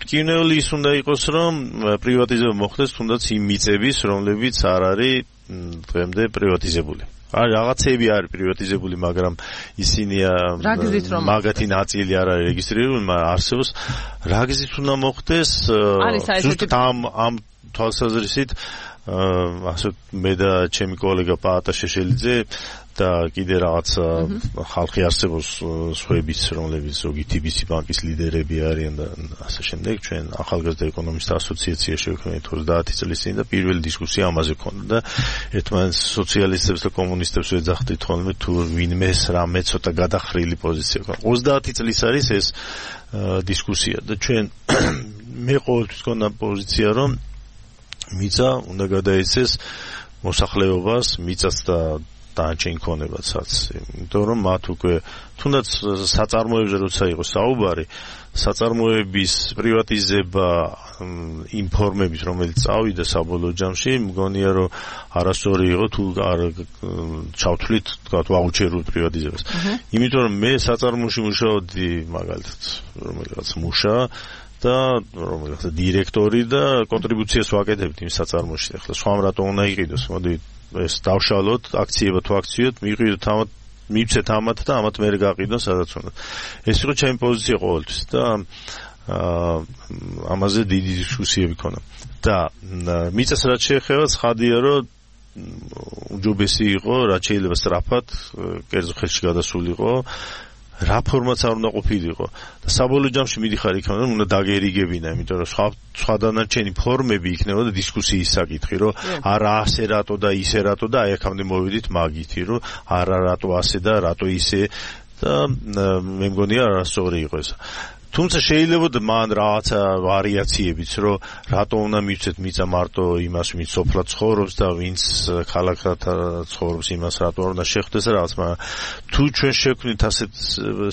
მტკივნეული ის უნდა იყოს რომ პრივატიზება მოხდეს თუნდაც იმ მიწების რომლებიც არ არის დღემდე პრივატიზებული არის რაღაცები არის პრივატიზებული მაგრამ ისინია მაგათი ნაწილი არ არის რეგისტრირებული მაგრამ არსებობს რა გზით უნდა მოხდეს ზუსტად ამ თვალსაზრისით ასე მე და ჩემი კოლეგა პაატა შეშელიძე და კიდე რაღაც ხალხი არსებობს სხვაებიც რომლებიც ზოგი TBC ბანკის ლიდერები არიან და ასე შემდეგ ჩვენ ახალგაზრდა ეკონომისტთა ასოციაცია შევქმნით 30 წლის წინ და პირველი დისკუსია ამაზე ქონდა და ერთმანეთს სოციალისტებს და კომუნისტებს ვეძახდით ხოლმე თუ ვინმე რამე ცოტა გადახრილი პოზიცია ქონდა 30 წლის არის ეს დისკუსია და ჩვენ მე ყოველთვის ქონდა პოზიცია რომ მიწა უნდა გადაეცეს მოსახლეობას მიწას და დანარჩენ ქონებაცაც იმიტომ რომ მათ უკვე თუნდაც საწარმოებზე როცა იყო საუბარი საწარმოების პრივატიზება იმ ფორმებით რომელიც წავიდა საბოლოო ჯამში მგონია რომ არასწორი იყო თუ არ ჩავთვლით თქვა ვაუჩერულ პრივატიზებას იმიტომ რომ მე საწარმოში მუშაობდი მაგალითად რომელიღაც მუშა და რომელიღაც დირექტორი და კონტრიბუციას ვაკეთებთ იმ საწარმოში ახლა სხვამ რატომ უნდა იყიდოს მოდი ეს დავშალოთ აქციება თუ აქციოთ მივიღოთ ამათ მივცეთ ამათ და ამათ მე გაყიდო სადაც უნდა ეს იყო ჩემი პოზიცია ყოველთვის და ამაზე დიდი დისკუსიები ქონა და მიწას რაც შეეხება ცხადია რომ უჯობესი იყო რაც შეიძლება სწრაფად კერძო ხელში გადასულიყო რა ფორმაც არ უნდა ყოფილიყო და საბოლოო ჯამში მიდიხარ იქ რომ უნდა დაგერიგებინა იმიტომ რომ სხვა დანარჩენი ფორმები იქნებოდა დისკუსიის საკითხი რომ არა ასე რატო და ისე რატო და აი აქამდე მოვიდით მაგითი რომ არა რატო ასე და რატო ისე და მე მგონია არასწორი იყო ეს თუმცა შეიძლება მან რაღაცა ვარიაციებიც რომ რატო უნდა მივცეთ მიწა მარტო იმას ვინც სოფლად ცხოვრობს და ვინც ქალაქად ცხოვრობს იმას რატო უნდა შეხვდეს რაღაც მაგრამ თუ ჩვენ შევქმნით ასეთ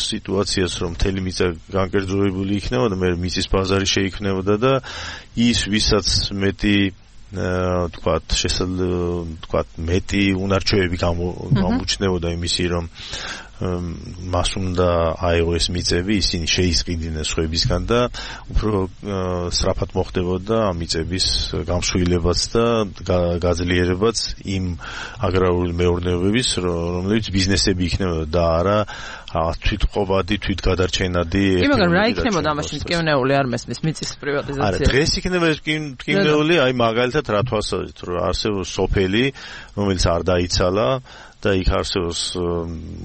სიტუაციას რომ მთელი მიწა განკერძოებული იქნებოდა მე მიწის ბაზარი შეიქმნებოდა და ის ვისაც მეტი თქვათ შესაძლოა თქვათ მეტი უნარჩვევები გამოჩნდებოდა იმისი რომ მას უნდა აიღო ეს მიწები, ისინი შეისყიდნენ სხვებისგან და უფრო სწრაფად მოხდებოდა ამ მიწების გამსხვილებაც და გაძლიერებაც იმ აგრარული მეურნეობების, რომელიც ბიზნესები იქნებოდა და არა თვითყოფადი, თვითგადარჩენადი. მაგრამ რა იქნებოდა ამაში მტკივნეული არ მესმის მიწის პრივატიზაცია? არა, დღეს იქნება ეს მტკივნეული, აი მაგალითად რა თვალსაზრისით, რომ არსებობს სოფელი, რომელიც არ დაიცალა და იქ არსებობს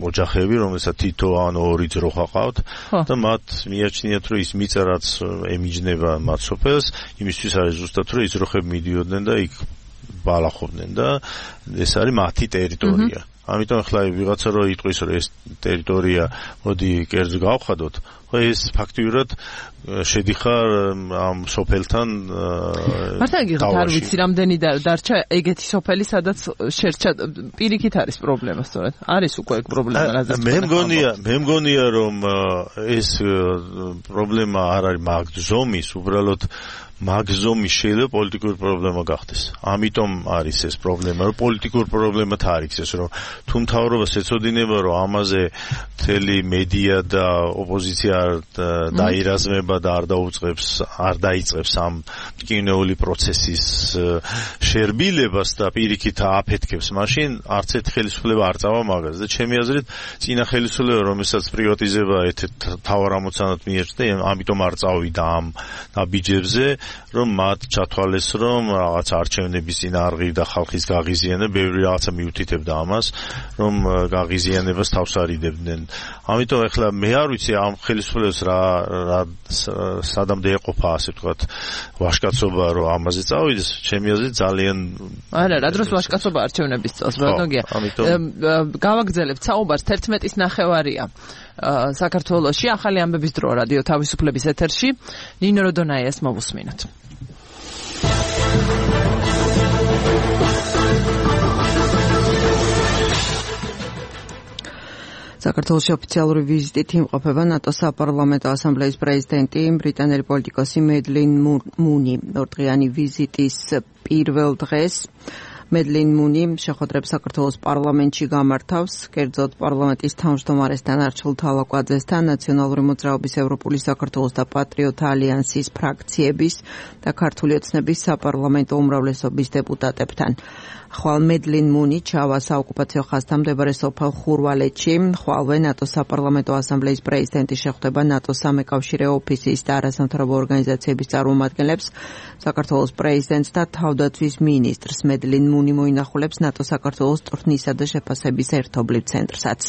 ოჯახები, რომელსაც თითო ან ორი ძრო ხაყავთ და მათ მიაჩნიათ, რომ ის მიწა რაც ემიჯნება მათ სოფელს, იმისთვის არის ზუსტად რომ ის ძროხები მიდიოდნენ და იქ ბალახობდნენ და ეს არის მათი ტერიტორია. ამიტომ ახლა ვიღაცა რო იტყვის რომ ეს ტერიტორია მოდი კერძო გავხადოთ, ეს ფაქტიურად შედიხარ ამ სოფელთან მართლა არ ვიცი რამდენი დარჩა ეგეთი სოფელი სადაც შერჩა პირიქით არის პრობლემა სწორედ არის უკვე ეგ პრობლემა რაზეც მე მგონია რომ ეს პრობლემა არ არის მაგზომის უბრალოდ მაგზომის შეიძლება პოლიტიკური პრობლემა გახდეს. ამიტომ არის ეს პრობლემა, რომ პოლიტიკური პრობლემათ არ იქცეს, რომ თუ მთავრობას ეცოდინება, რომ ამაზე მთელი მედია და ოპოზიცია დაირაზმება და არ დაიწყებს ამ მტკივნეული პროცესის შერბილებას და პირიქით აფეთქებს, მაშინ არც ერთ ხელისუფლება არ წავა მაგაზე. და ჩემი აზრით, წინა ხელისუფლება, რომელსაც პრივატიზება თავარ ამოცანად მიეჭდა, ამიტომ არ წავიდა ამ ნაბიჯებზე. რომ მათ ჩათვალეს რომ რაღაც არჩევნების წინააღმდეგ და ხალხის გაღიზიანება ბევრი რაღაცა მიუთითებდა ამას რომ გაღიზიანებას თავს არიდებდნენ. ამიტომ ახლა მე არ ვიცი ამ ხელისუფლებას რა სადამდე ეყოფა ასე ვთქვათ ვაშკაცობა რომ ამაზე წავიდეს. ჩემი აზრით ძალიან არა რა დროს ვაშკაცობა არჩევნების წელს ბატონგია. გავაგრძელებთ საუბარს 11-ის ნახევარია. საქართველოში ახალი ამბების დრო რადიო თავისუფლების ეთერში ნინო როდონაიას მოვუსმინოთ. საქართველოს ოფიციალური ვიზიტით იმყოფება ნატოს საპარლამენტო ასამბლეის პრეზიდენტი ბრიტანელი პოლიტიკოსი მედლინ მუნი. ორდღიანი ვიზიტის პირველ დღეს მედლინ მუნი შეხვედრებს საქართველოს პარლამენტში გამართავს, კერძოდ პარლამენტის თავმჯდომარესთან არჩილ თალაკვაძესთან, ნაციონალური მოძრაობის ევროპული საქართველოს და პატრიოტთა ალიანსის ფრაქციების და ქართული ოცნების საპარლამენტო უმრავლესობის დეპუტატებთან. ხვალ მედლინ მუნი ჩავა საოკუპაციო ხაზთან მდებარე სოფელ ხურვალეთში, ხვალვე ნატოს საპარლამენტო ასამბლეის პრეზიდენტი შეხვდება ნატოს სამეკავშირეო ოფისის და არასამთავრობო ორგანიზაციების წარმომადგენლებს, საქართველოს პრეზიდენტს და თავდაცვის მინისტრს. მედლინ მუნი მოინახულებს ნატოს საქართველოს ტურნისა და შეფასების ერთობლივ ცენტრსაც.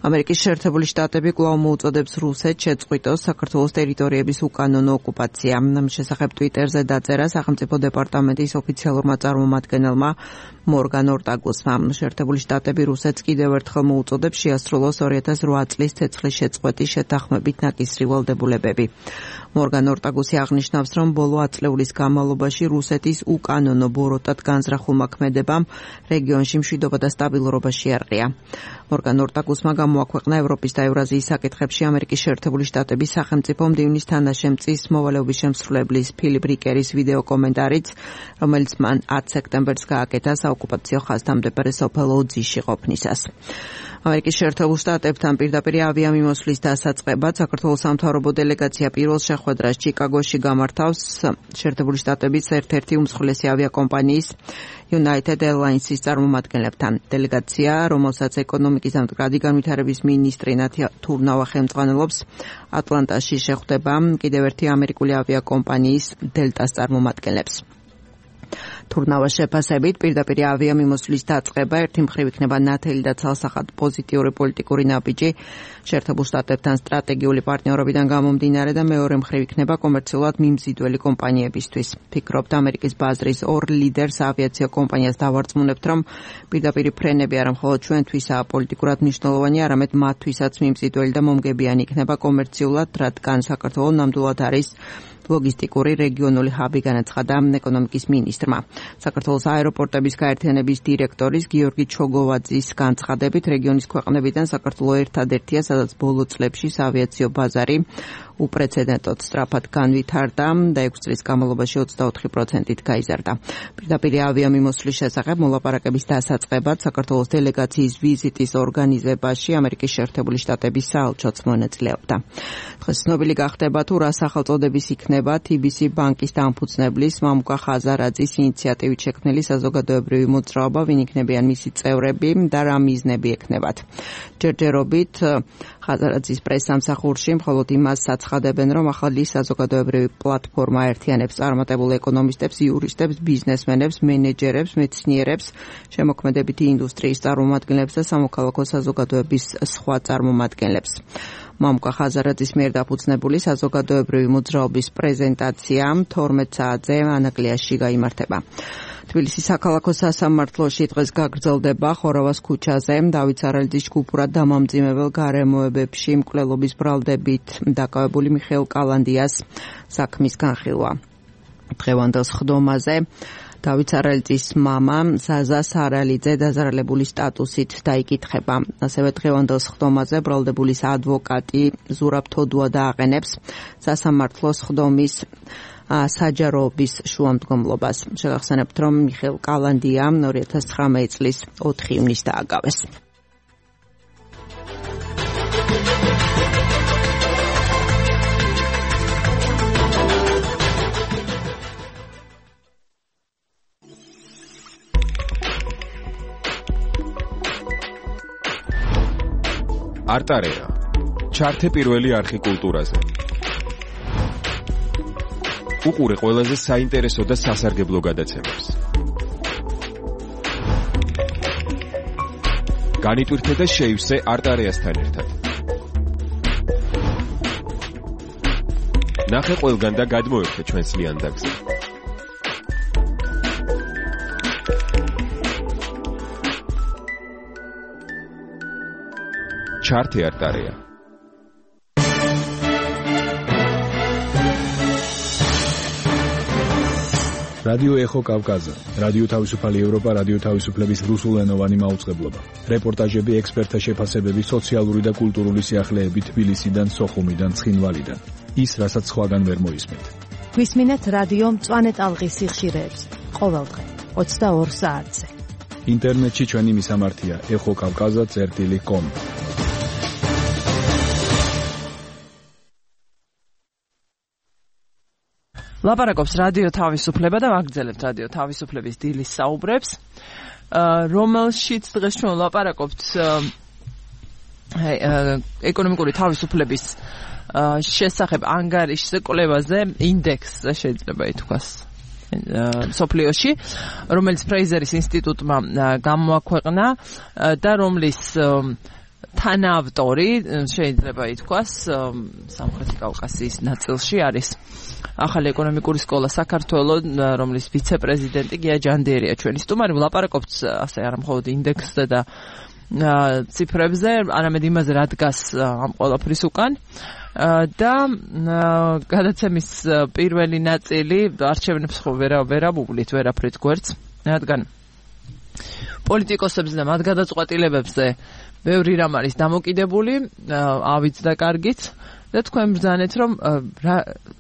ამერიკის შეერთებული შტატები კვლავ მოუწოდებს რუსეთს შეწყვიტოს საქართველოს ტერიტორიების უკანონო ოკუპაცია. ამ შესახებ ტვიტერზე დაწერა სახელმწიფო დეპარტამენტის ოფიციალურმა წარმომადგენელმა მორგან ორტაგუსმა. შეერთებული შტატები რუსეთს კიდევ ერთხელ მოუწოდებს შეასრულოს 2008 წლის ცეცხლის შეწყვეტის შეთანხმებით ნაკისრი ვალდებულებები. მორგან ორტაგუსი აღნიშნავს, რომ ბოლო ათწლეულის განმავლობაში რუსეთის უკანონო ბოროტად განზრახულმა ქმედებამ რეგიონში მშვიდობა და სტაბილურობა შეარყია. მორგან ორტაგუსმა გამოაქვეყნა ევროპის და ევრაზიის საკითხებში ამერიკის შეერთებული შტატების სახელმწიფო მდივნის თანაშემწის მოვალეობის შემსრულებლის ფილიპ რიკერის ვიდეო კომენტარიც, რომელიც მან 10 სექტემბერს გააკეთა საოკუპაციო ხაზთან მდებარე სოფელ ოძიში ყოფნისას. ამერიკის შეერთებულ შტატებთან პირდაპირ ავიამიმოსვლის დასაწყებად საქართველოს სამთავრობო დელეგაცია პირველ შეხვედრას ჩიკაგოში გამართავს შეერთებული შტატების ერთ-ერთი უმსხვილესი ავიაკომპანიის United Airlines-ის წარმომადგენლებთან. დელეგაცია, რომელსაც ეკონომიკის და მდგრადი განვითარების მინისტრი ნათია თურნავა ხელმძღვანელობს, ატლანტაში შეხვდება კიდევ ერთი ამერიკული ავიაკომპანიის დელტას წარმომადგენლებს. თურნავას შეფასებით პირდაპირ ავიამიმოსვლის დაწყება ერთი მხრივ იქნება ნათელი და ცალსახად პოზიტიური პოლიტიკური ნაბიჯი შეერთებულ შტატებთან სტრატეგიული პარტნიორობიდან გამომდინარე და მეორე მხრივ იქნება კომერციულად მიმზიდველი კომპანიებისთვის. ფიქრობთ ამერიკის ბაზრის ორ ლიდერს ავიაციო კომპანიას დავარწმუნებთ, რომ პირდაპირ ფრენები არა მხოლოდ ჩვენთვისაა პოლიტიკურად მნიშვნელოვანი, არამედ მათთვისაც მიმზიდველი და მომგებიანი იქნება კომერციულად, რადგან საქართველო ნამდვილად არის ლოგისტიკური რეგიონული ჰაბი, განაცხადა ეკონომიკის მინისტრმა. საქართველოს აეროპორტების გაერთიანების დირექტორის გიორგი ჩოგოვაძის განცხადებით, რეგიონის ქვეყნებიდან საქართველო ერთადერთია, სადაც ბოლო წლებში ავიაციო ბაზარი უპრეცედენტოდ სწრაფად განვითარდა და 6 წლის განმავლობაში 24%-ით გაიზარდა. პირდაპირ ავიამიმოსვლის შესახებ მოლაპარაკების დასაწყებად საქართველოს დელეგაციის ვიზიტის ორგანიზებაში ამერიკის შეერთებული შტატების საელჩოც მონაწილეობდა. დღეს ცნობილი გახდება თუ რა სახელწოდების იქნება TBC ბანკის დამფუძნებლის მამუკა ხაზარაძის ინიციატივით შექმნილი საზოგადოებრივი მოძრაობა, ვინ იქნებიან მისი წევრები და რა მიზნები ექნებათ. ჯერჯერობით ხაზარაძის პრესსამსახურში მხოლოდ იმას აცხადებენ, რომ ახალი საზოგადოებრივი პლატფორმა ერთიანებს წარმატებულ ეკონომისტებს, იურისტებს, ბიზნესმენებს, მენეჯერებს, მეცნიერებს, შემოქმედებითი ინდუსტრიის წარმომადგენლებს და სამოქალაქო საზოგადოების სხვა წარმომადგენლებს. მამუკა ხაზარაძის მიერ დაფუძნებული საზოგადოებრივი მოძრაობის პრეზენტაცია 12 საათზე ანაკლიაში გაიმართება. თბილისის საქალაქო სასამართლოში დღეს გაგრძელდება ხორავას ქუჩაზე დავით სარალიძის ჯგუფურად დამამძიმებელ გარემოებებში მკვლელობის ბრალდებით დაკავებული მიხეილ კალანდიას საქმის განხილვა. დღევანდელ სხდომაზე დავით სარალიძის მამა ზაზა სარალიძე დაზარალებული სტატუსით დაიკითხება. ასევე დღევანდელ სხდომაზე ბრალდებულის ადვოკატი ზურაბ თოდუა დააყენებს სასამართლოს სხდომის საჯაროობის შუამდგომლობას. შეგახსენებთ, რომ მიხეილ კალანდია 2019 წლის 4 ივნისს დააგავეს. არტარეა. ჩართე პირველი არხი კულტურაზე. უყურე ყველაზე საინტერესო და სასარგებლო გადაცემებს. განიტვირთე და შეივსე არტარეასთან ერთად. ნახე ყველგან და გადმოერთე ჩვენს ლიანდაგზე. ჩართე არტარეა. რადიო ეხო კავკაზა, რადიო თავისუფალი ევროპა, რადიო თავისუფლების რუსულენოვანი მაუწყებლობა. რეპორტაჟები, ექსპერტთა შეფასებები, სოციალური და კულტურული სიახლეები თბილისიდან, სოხუმიდან, ცხინვალიდან. ის, რასაც სხვაგან ვერ მოისმენთ. გვისმინეთ რადიო მწვანე ტალღის სიხშირეებს. ყოველდღე 22 საათზე. ინტერნეტში ჩვენი მისამართია exokavkaza.com. ლაპარაკობს რადიო თავისუფლება და ვაგრძელებთ რადიო თავისუფლების დილის საუბრებს, რომელშიც დღეს ჩვენ ლაპარაკობთ ეკონომიკური თავისუფლების შესახებ ანგარიშზე, კვლევაზე, ინდექსზე შეიძლება ითქვას სოფლიოში, რომელიც ფრეიზერის ინსტიტუტმა გამოაქვეყნა და რომლის თანაავტორი შეიძლება ითქვას სამხრეთი კავკასიის ნაწილში არის ახალი ეკონომიკური სკოლა საქართველოს, რომლის ვიცე-პრეზიდენტი გია ჯანდიერია ჩვენი სტუმარი. ვლაპარაკობთ ასე არა მხოლოდ ინდექსზე და ციფრებზე, არამედ იმაზე, რა დგას ამ ყველაფრის უკან. და გადაცემის პირველი ნაწილი არჩევნებს ხო ვერა მოვვლით, ვერაფრით გვერდს, რადგან პოლიტიკოსებზე და მათ გადაწყვეტილებებზე ბევრი რამ არის დამოკიდებული, ავიც და კარგიც. და თქვენ ბრძანეთ, რომ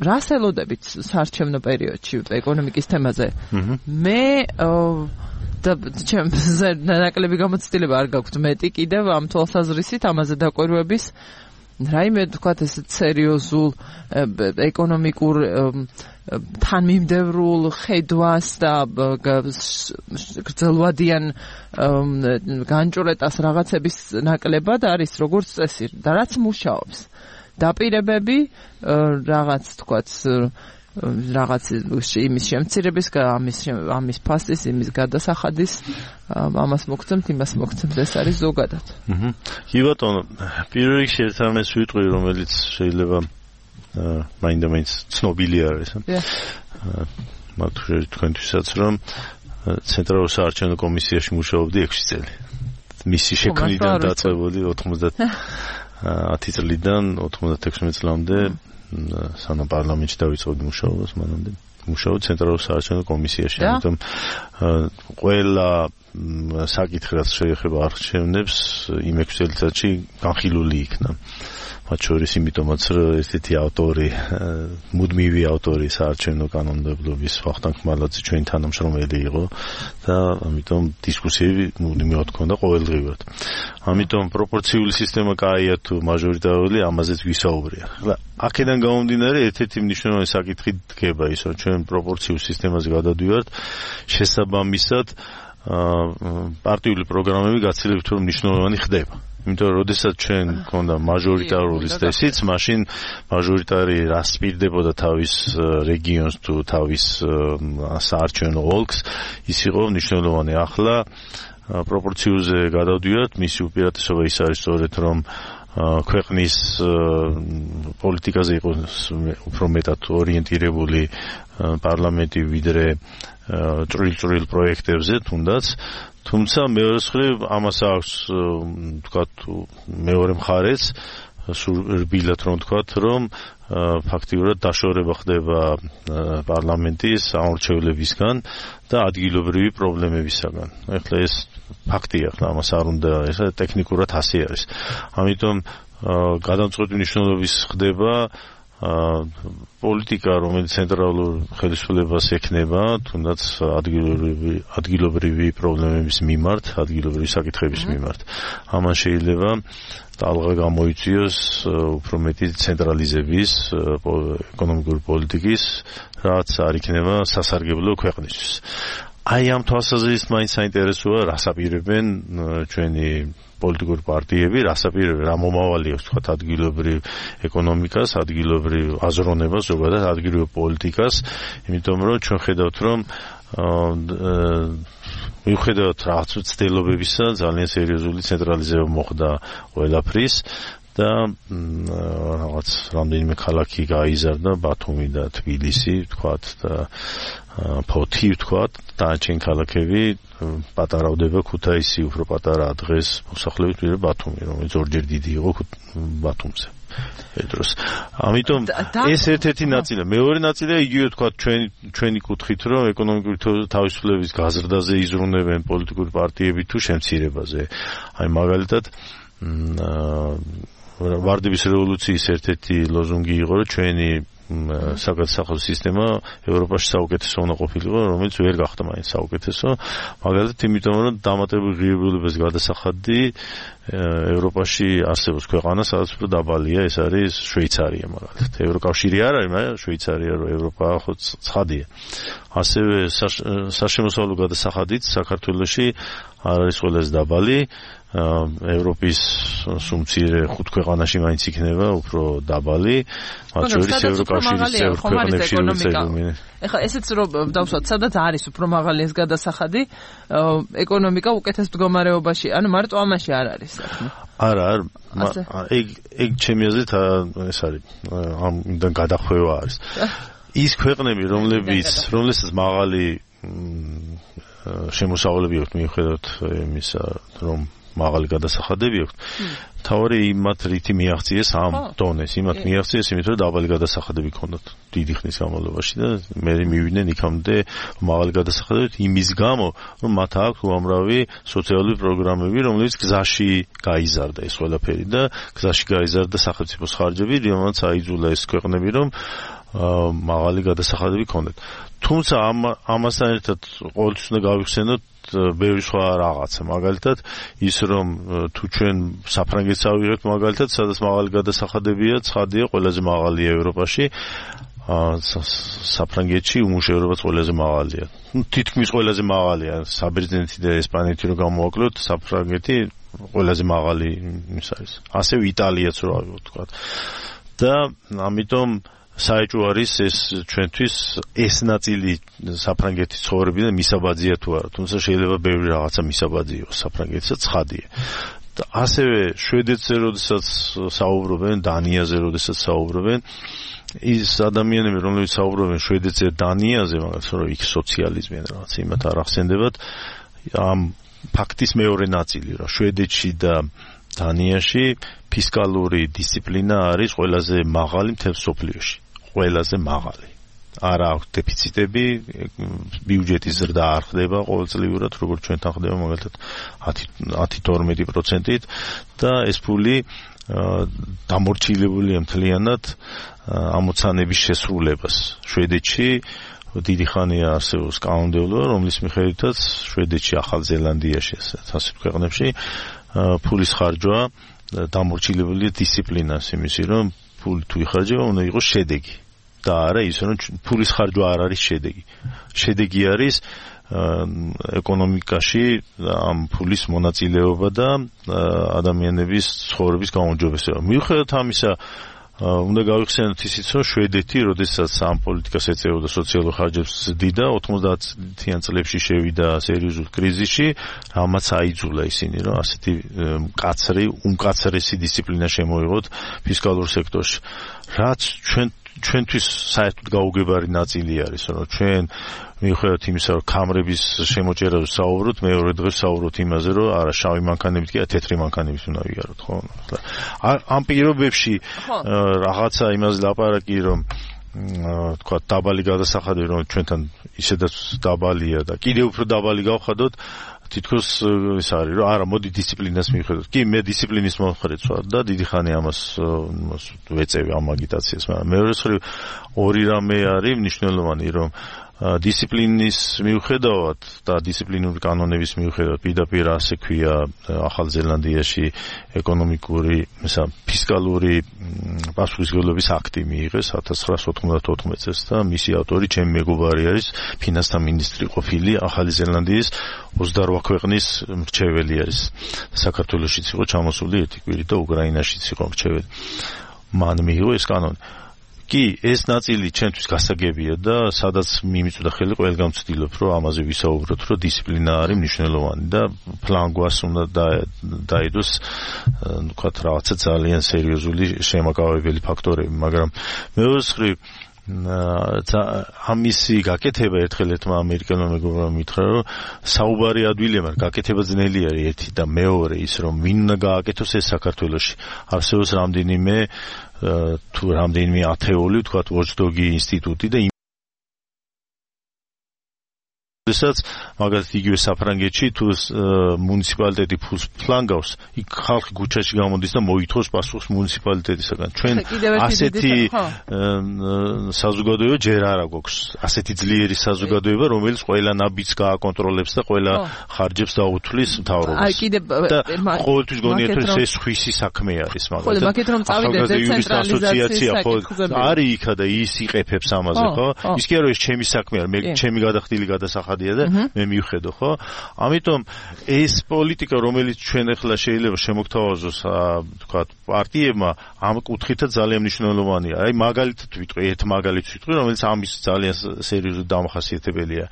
რას ელოდებით საარჩევნო პერიოდში ეკონომიკის თემაზე. მე და ჩემს ნაკლები გამოცდილება არ გაქვთ მეტი კიდევ ამ თვალსაზრისით ამაზე დაკვირვების. რაიმე თქვათ ესეთ სერიოზულ ეკონომიკურ თანმიმდევრულ ხედვას და გრძელვადიან განჭურეტას რაღაცების ნაკლებად არის როგორც წესი და რაც მუშაობს. დაპირებები რაღაც თქვათ რაღაც იმის შემცირების, ამის ფასის, იმის გადასახადის, ამას მოგცემთ, იმას მოგცემთ, ეს არის ზოგადად. კი ბატონო, პირველ რიგში ერთ რამეს ვიტყვი, რომელიც შეიძლება მაინდა-მაინც ცნობილი არის. მათ თქვენთვისაც, რომ ცენტრალურ საარჩევნო კომისიაში მუშაობდი 6 წელი. მისი შექმნიდან დაწყებული 10 წლიდან 96 წლამდე სანამ პარლამენტში დავიწყებდი მუშაობას, მანამდე მუშაობდი ცენტრალურ საარჩევნო კომისიაში. ამიტომ ყველა საკითხი, რაც შეეხება არჩევნებს, იმ 6 წელიწადში განხილული იქნა. მათ შორის იმიტომაც, რომ ესეთი ავტორი, მუდმივი ავტორი საარჩევნო კანონმდებლობის ვახტანგ ხმალაძე ჩვენი თანამშრომელი იყო და ამიტომ დისკუსიები მუდმივად ჰქონდა ყოველდღიურად. ამიტომ პროპორციული სისტემა კაია თუ მაჟორიტარული, ამაზეც ვისაუბრია. ახლა აქედან გამომდინარე ერთ-ერთი მნიშვნელოვანი საკითხი დგება ის, რომ ჩვენ პროპორციულ სისტემაზე გადავდივართ, შესაბამისად პარტიული პროგრამები გაცილებით უფრო მნიშვნელოვანი ხდება. იმიტომ რომ როდესაც ჩვენ გქონდა მაჟორიტარული წესიც, მაშინ მაჟორიტარი რას სპირდებოდა თავის რეგიონს თუ თავის საარჩევნო ოლქს, ის იყო მნიშვნელოვანი. ახლა პროპორციულზე გადავდივართ, მისი უპირატესობა ის არის სწორედ, რომ ქვეყნის პოლიტიკაზე იყოს უფრო მეტად ორიენტირებული პარლამენტი ვიდრე წვრილ პროექტებზე თუნდაც თუმცა მეორე მხრივ ამას აქვს ვთქვათ მეორე მხარეც რბილად რომ ვთქვათ რომ ფაქტიურად დაშორება ხდება პარლამენტის ამორჩევლებისგან და ადგილობრივი პრობლემებისგან. ეხლა ეს ფაქტია, ახლა ამას არ უნდა ესა ტექნიკურად ასე არის. ამიტომ გადამწყვეტი მნიშვნელობის ხდება პოლიტიკა, რომელიც ცენტრალურ ხელისუფლებას ექნება, თუნდაც ადგილობრივი პრობლემების მიმართ, ადგილობრივი საკითხების მიმართ. ამან შეიძლება ტალღა გამოიწვიოს უფრო მეტი ცენტრალიზების ეკონომიკური პოლიტიკის, რაც არ იქნება სასარგებლო ქვეყნისთვის. აი ამ თვალსაზრისით მაინც საინტერესოა, რას აპირებენ ჩვენი პოლიტიკური პარტიები, რას აპირებენ, რა მომავალი აქვს თქვათ ადგილობრივ ეკონომიკას, ადგილობრივ აზროვნებას, ზოგადად ადგილობრივ პოლიტიკას, იმიტომ რომ ჩვენ ხედავთ რომ მიუხედავად რაღაც ცდილობებისა ძალიან სერიოზული ცენტრალიზება მოხდა ყველაფრის და რაღაც რამდენიმე ქალაქი გაიზარდა, ბათუმი და თბილისი ვთქვათ და ფოთი ვთქვათ, დანარჩენი ქალაქები პატარავდება, ქუთაისი უფრო პატარაა დღეს მოსახლეობით ვიდრე ბათუმი, რომელიც ორჯერ დიდი იყო ბათუმზე. ეს ამიტომ ეს ერთ-ერთი ნაწილია. მეორე ნაწილია იგივე თქვა ჩვენი კუთხით რომ ეკონომიკური თავისუფლების გაზრდაზე იზრუნებენ პოლიტიკური პარტიები თუ შემცირებაზე. აი მაგალითად ვარდების რევოლუციის ერთ-ერთი ლოზუნგი იყო რომ ჩვენი საგადასახადო სისტემა ევროპაში საუკეთესო უნდა ყოფილიყო, რომელიც ვერ გახდა მაინც საუკეთესო. მაგალითად, იმიტომ რომ დამატებული ღირებულების გადასახადი ევროპაში არსებობს ქვეყანა, სადაც უფრო დაბალია, ეს არის შვეიცარია მაგალითად. ევროკავშირი არ არის, მაგრამ შვეიცარია რო ევროპა ხო ცხადია. ასევე საშემოსავლო გადასახადით საქართველოში არ არის ყველაზე დაბალი. ევროპის სუმცირე 5 ქვეყანაში მაინც იქნება უფრო დაბალი, მათ შორის ევროკავშირის წევრ ქვეყნებში როცა ეხლა ესეც რომ დავსვათ, სადაც არის უფრო მაღალი ეს გადასახადი, ეკონომიკა უკეთეს მდგომარეობაში, ანუ მარტო ამაში არ არის საქმე. არა, ეგ ჩემი აზრით ეს არის, ამიდან გადახვევა არის. ის ქვეყნები, რომლებსაც მაღალი შემოსავლები აქვს მიუხედავად იმისა, რომ მაღალი გადასახადები აქვს. თავარი იმათ რითი მიაღწიეს ამ დონეს, იმათ მიაღწიეს იმით, რომ დაბალი გადასახადები ჰქონდათ დიდი ხნის განმავლობაში და მე მივიდნენ იქამდე მაღალი გადასახადებით იმის გამო, რომ მათ აქვს უამრავი სოციალური პროგრამები, რომლებიც გზაში გაიზარდა ეს ყველაფერი და გზაში გაიზარდა სახელმწიფოს ხარჯები, რომელსაც აიძულა ეს ქვეყნები, რომ მაღალი გადასახადები ჰქონდეთ. თუმცა ამასთან ერთად ყოველთვის უნდა გავიხსენოთ ბევრი სხვა რაღაცა. მაგალითად, ის რომ თუ ჩვენ საფრანგეთს ავიღებთ მაგალითად, სადაც მაღალი გადასახადებია, ცხადია, ყველაზე მაღალია ევროპაში. საფრანგეთში უმუშევრობაც ყველაზე მაღალია. თითქმის ყველაზე მაღალია. საბერძნეთი და ესპანეთი რო გამოვაკლოთ, საფრანგეთი ყველაზე მაღალი ის არის. ასევე იტალიაც რო ავიღოთ, თქვა. და ამიტომ საეჭვო არის ეს ჩვენთვის ეს ნაწილი საფრანგეთის ცხოვრებიდან მისაბაძია თუ არა, თუმცა შეიძლება ბევრი რაღაცა მისაბაძი იყოს საფრანგეთისა, ცხადია. და ასევე შვედეთზე როდესაც საუბრობენ, დანიაზე როდესაც საუბრობენ, ის ადამიანები, რომლებიც საუბრობენ შვედეთზე, დანიაზე, მაგალითად, რომ იქ სოციალიზმი ან რაღაც იმათ არ ახსენდებათ, ამ ფაქტის მეორე ნაწილი, რომ შვედეთში და დანიაში ფისკალური დისციპლინა არის ყველაზე მაღალი მთელ მსოფლიოში. ყველაზე მაღალი. არა აქვს დეფიციტები, ბიუჯეტის ზრდა არ ხდება ყოველწლიურად, როგორც ჩვენთან ხდება მაგალითად 10-12%-ით და ეს ფული დამორჩილებულია მთლიანად ამოცანების შესრულებას. შვედეთში დიდი ხანია არსებობს კანონმდებლობა, რომლის მიხედვითაც შვედეთში, ახალ ზელანდიაში, ასეთ ქვეყნებში ფულის ხარჯვა დამორჩილებულია დისციპლინას, იმისი რომ ფული თუ იხარჯება, უნდა იყოს შედეგი და არა ის რომ ფულის ხარჯვა არ არის შედეგი. შედეგი არის ეკონომიკაში ამ ფულის მონაწილეობა და ადამიანების ცხოვრების გაუმჯობესება. მიუხედავად ამისა, უნდა გავიხსენოთ ისიც, რომ შვედეთი, როდესაც ამ პოლიტიკას ეწეოდა სოციალურ ხარჯებს ზდიდა, 90-იან წლებში შევიდა სერიოზულ კრიზისში, რამაც აიძულა ისინი, რომ ასეთი უმკაცრესი დისციპლინა შემოიღოთ ფისკალურ სექტორში. რაც ჩვენთვის საერთოდ გაუგებარი ნაწილი არის, რომ ჩვენ მიუხედავად იმისა, რომ კამრების შემოჭერაზე საუბრობთ, მეორე დღეს საუბრობთ იმაზე, რომ არა შავი მანქანებით კი თეთრი მანქანებით უნდა ვიაროთ, ხო? ამ პირობებში რაღაცა იმაზე ლაპარაკი, რომ თქვა დაბალი გადასახადი, რომ ჩვენთან ისედაც დაბალია და კიდევ უფრო დაბალი გავხადოთ, თითქოს ის არის, რომ არა, მოდი დისციპლინას მივხედოთ. კი, მე დისციპლინის მომხრეც ვარ და დიდი ხანი ამას ვეწევი ამ აგიტაციას, მაგრამ მეორე მხრივ ორი რამე არის მნიშვნელოვანი, რომ დისციპლინის მიუხედავად და დისციპლინური კანონების მიუხედავად პირდაპირ ასე ქვია ახალ ზელანდიაში ეკონომიკური, ფისკალური პასუხისმგებლობის აქტი მიიღეს 1994 წელს და მისი ავტორი ჩემი მეგობარი არის ფინანსთა მინისტრი ყოფილი ახალი ზელანდიის 28 ქვეყნის მრჩეველი არის. საქართველოშიც იყო ჩამოსული ერთი კვირით და უკრაინაშიც იყო მრჩეველი. მან მიიღო ეს კანონი. კი, ეს ნაწილი ჩვენთვის გასაგებია და სადაც მიმიწვდა ხელი ყველგან ვცდილობ, რომ ამაზე ვისაუბროთ, რომ დისციპლინა არის მნიშვნელოვანი და ფლანგვას უნდა დაიდოს, ვთქვათ, რაღაცა ძალიან სერიოზული შემაკავებელი ფაქტორები, მაგრამ მეორე მხრივ ამისი გაკეთება ერთხელ ერთმა ამერიკელმა მეგობრმა მითხრა, რომ საუბარი ადვილია, მაგრამ გაკეთება ძნელი არის ერთი და მეორე ის, რომ ვინ უნდა გააკეთოს ეს საქართველოში. არსებობს რამდენიმე ათეული, ვთქვათ, watchdog-ი ინსტიტუტი და როდესაც მაგალითად იგივე საფრანგეთში თუ მუნიციპალიტეტი ფულს ფლანგავს, იქ ხალხი ქუჩაში გამოდის და მოითხოვს პასუხს მუნიციპალიტეტისაგან. ჩვენ ასეთი საზოგადოება ჯერ არ აქვს. ასეთი ძლიერი საზოგადოება, რომელიც ყველა ნაბიჯს გააკონტროლებს და ყველა ხარჯებს დაუთვლის მთავრობას. და ყოველთვის გონიათ, რომ ეს ხვისი საქმე არის მაგალითად. მაგით რომ წავიდეთ დეცენტრალიზაციის საკითხზე. არის იქა და ის იყეფებს ამაზე, ხო? ის კი არა, ეს ჩემი საქმე არის, მე ჩემი გადახდილი გადასახადი და მე მივხედო, ხო? ამიტომ ეს პოლიტიკა, რომელიც ჩვენ ახლა შეიძლება შემოგთავაზოს, თქვა, პარტიებმა, ამ კუთხით ძალიან მნიშვნელოვანია. აი მაგალითად ვიტყვი, ერთ მაგალითს ვიტყვი, რომელიც ამის ძალიან სერიოზული დამახასიათებელია.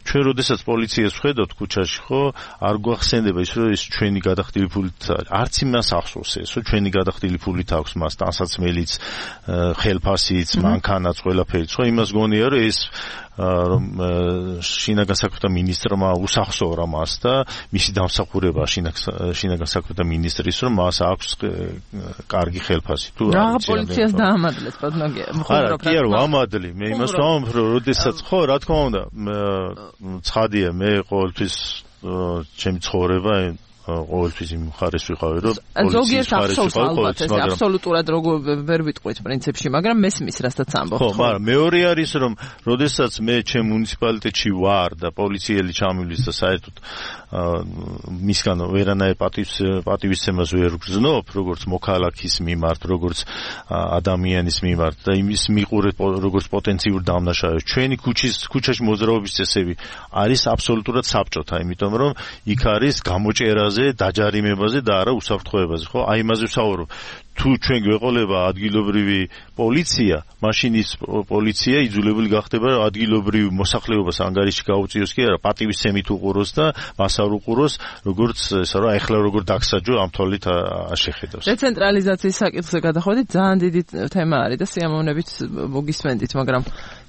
ჩვენ როდესაც პოლიციას ვხედავთ ქუჩაში, ხო, არ გვახსენდება ის, რომ ეს ჩვენი გადახდილი ფულით არის. არც იმას ახსოვს ეს, რომ ჩვენი გადახდილი ფულით აქვს მას ტანსაცმელიც, ხელფასიც, მანქანაც, ყველაფერიც, ხო? იმას გონია, რომ ეს რომ შინაგან საქმეთა მინისტრმა უსახსოვრა მას და მისი დამსახურება შინაგან საქმეთა მინისტრის, რომ მას აქვს კარგი ხელფასი. თუ რა პოლიციას დაამადლეთ, პოდნოგია. არა, კი არა, ვამადლი. მე იმას ვამბობ, რომ როდესაც ხო, რა თქმა უნდა, ცხადია, მე ყოველთვის ჩემი ცხოვრება ყოველთვის იმ მხარეს ვიყავი, რომ ზოგიერთ ახსოვს ალბათ ეს აბსოლუტურად როგორ ვერ ვიტყვით პრინციპში, მაგრამ მესმის რასაც ამბობთ. ხო, მაგრამ მეორე არის, რომ როდესაც მე ჩემ მუნიციპალიტეტში ვარ და პოლიციელი ჩამივლის და საერთოდ მისგან ვერანაირ პატივისცემას ვერ ვგრძნობ, როგორც მოქალაქის მიმართ, როგორც ადამიანის მიმართ და იმის მიყურებ, როგორც პოტენციურ დამნაშავეს. ჩვენი ქუჩაში მოძრაობის წესები არის აბსოლუტურად საბჭოთა, იმიტომ რომ იქ არის გამოჭერაზე, დაჯარიმებაზე და არა უსაფრთხოებაზე, ხო? აი იმაზე ვსაუბრობ. თუ ჩვენ გვეყოლება ადგილობრივი პოლიცია, მაშინ ის პოლიცია იძულებული გახდება ადგილობრივ მოსახლეობას ანგარიში გაუწიოს კი არა, პატივისცემით უყუროს და მას არ უყუროს, როგორც ესა რა, ეხლა როგორ დაგსაჯო ამ თვალით შეხედავს. დეცენტრალიზაციის საკითხზე გადახვედით, ძალიან დიდი თემა არის და სიამოვნებით მოგისმენდით, მაგრამ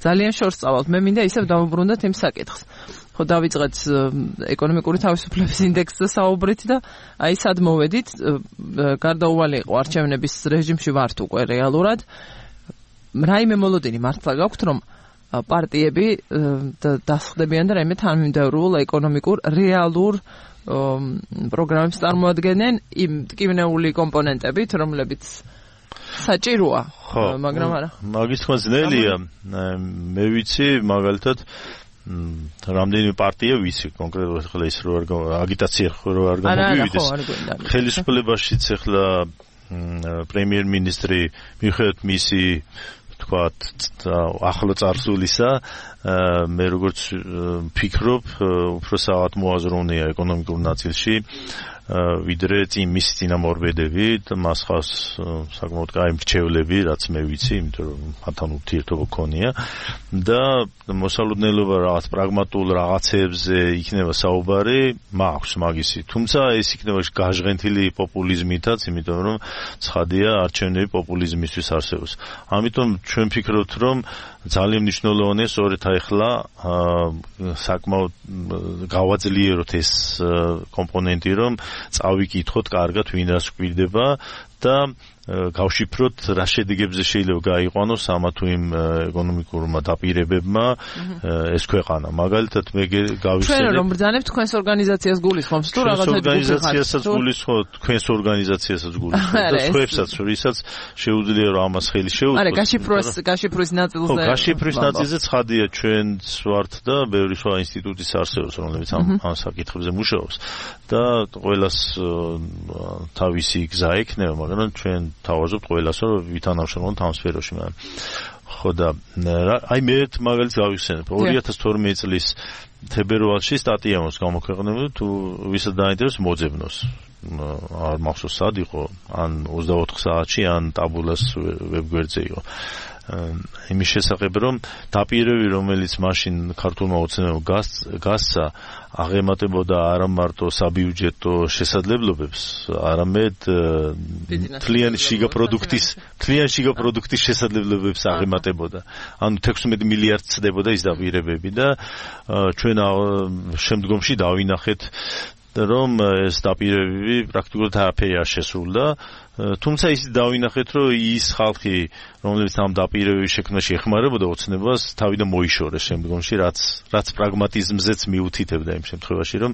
ძალიან შორს წავალთ. მე მინდა ისევ დავუბრუნდეთ იმ საკითხს. ხო, დავიწყეთ ეკონომიკური თავისუფლების ინდექსზე საუბრით და აი სად მოვედით, გარდაუვალი იყო არჩევნების რეჟიმში ვართ უკვე რეალურად. რაიმე მოლოდინი მართლა გაქვთ, რომ პარტიები დასხდებიან და რაიმე თანმიმდევრულ ეკონომიკურ რეალურ პროგრამებს წარმოადგენენ იმ ტკივნეული კომპონენტებით, რომლებიც საჭიროა, მაგრამ არა. მაგის თქმა ძნელია. მე ვიცი, მაგალითად რამდენი პარტია ვიცი კონკრეტულად ხლა ის რო აგიტაცია რო არ გამოვივიდეს. ხელისუფლებაშიც ახლა პრემიერ-მინისტრი მიუხედავად მისი თქვათ ახლო წარსულისა მე როგორც ფიქრობ, უფრო საათ მოაზროვნეა ეკონომიკურ ნაწილში ვიდრე მის წინამორბედები და მას ხავს საკმაოდ კაი მრჩევლები, რაც მე ვიცი, იმიტომ რომ მათთან ურთიერთობა ქონია და მოსალოდნელობა რაღაც პრაგმატულ რაღაცებზე იქნება საუბარი, მაქვს მაგისი. თუმცა ეს იქნება გაჟღენთილი პოპულიზმითაც, იმიტომ რომ ცხადია არჩევნები პოპულიზმისთვის არსებობს. ამიტომ ჩვენ ვფიქრობთ, რომ ძალიან მნიშვნელოვანია სწორედ ახლა საკმაოდ გავაძლიეროთ ეს კომპონენტი, რომ წავიკითხოთ კარგად ვინ რას გვირდება და გავშიფროთ რა შედეგებზე შეიძლება გაიყვანოს ამა თუ იმ ეკონომიკურმა დაპირებებმა ეს ქვეყანა. მაგალითად მე გავიხსენებ ჩვენ რომ ბრძანებთ თქვენს ორგანიზაციას გულისხმობს თუ რაღაცა ორგანიზაციასაც გულისხმობთ, თქვენს ორგანიზაციასაც გულისხმობთ და სხვაებსაც, რისაც შეუძლია რომ ამას ხელი შეუწყოს. არა, გაშიფრვის ნაწილზე. ხო, გაშიფრვის ნაწილზე ცხადია ჩვენც ვართ და ბევრი სხვა ინსტიტუტის არსებობს, რომლებიც ამ საკითხებზე მუშაობს და ყველას თავისი გზა ექნება, მაგრამ ჩვენ თავაზობთ ყველას, რომ ვითანამშრომლოთ ამ სფეროში. ხო და აი მე მაგალითად გავიხსენებ 2012 წლის თებერვალში სტატია მოს გამოქვეყნებული, თუ ვისაც დაინტერესებს მოძებნოს. არ მახსოვს სად იყო, ან 24 საათში, ან ტაბულას ვებგვერდზე იყო. იმის შესახებ, რომ დაპირები, რომელიც მაშინ ქართულმა ოცნებამ გასცა, აღემატებოდა არა მარტო საბიუჯეტო შესაძლებლობებს, არამედ თლიანი შიგა პროდუქტის შესაძლებლობებს აღემატებოდა. ანუ 16 მილიარდ წდებოდა ის დაპირებები და ჩვენ შემდგომში დავინახეთ რომ ეს დაპირებები პრაქტიკულად არაფერი არ შესრულდა. თუმცა ის დავინახეთ, რომ ის ხალხი, რომლებიც ამ დაპირებების შექმნაში ეხმარებოდა ოცნებას, თავიდან მოიშორეს შემდგომში, რაც პრაგმატიზმზეც მიუთითებდა იმ შემთხვევაში, რომ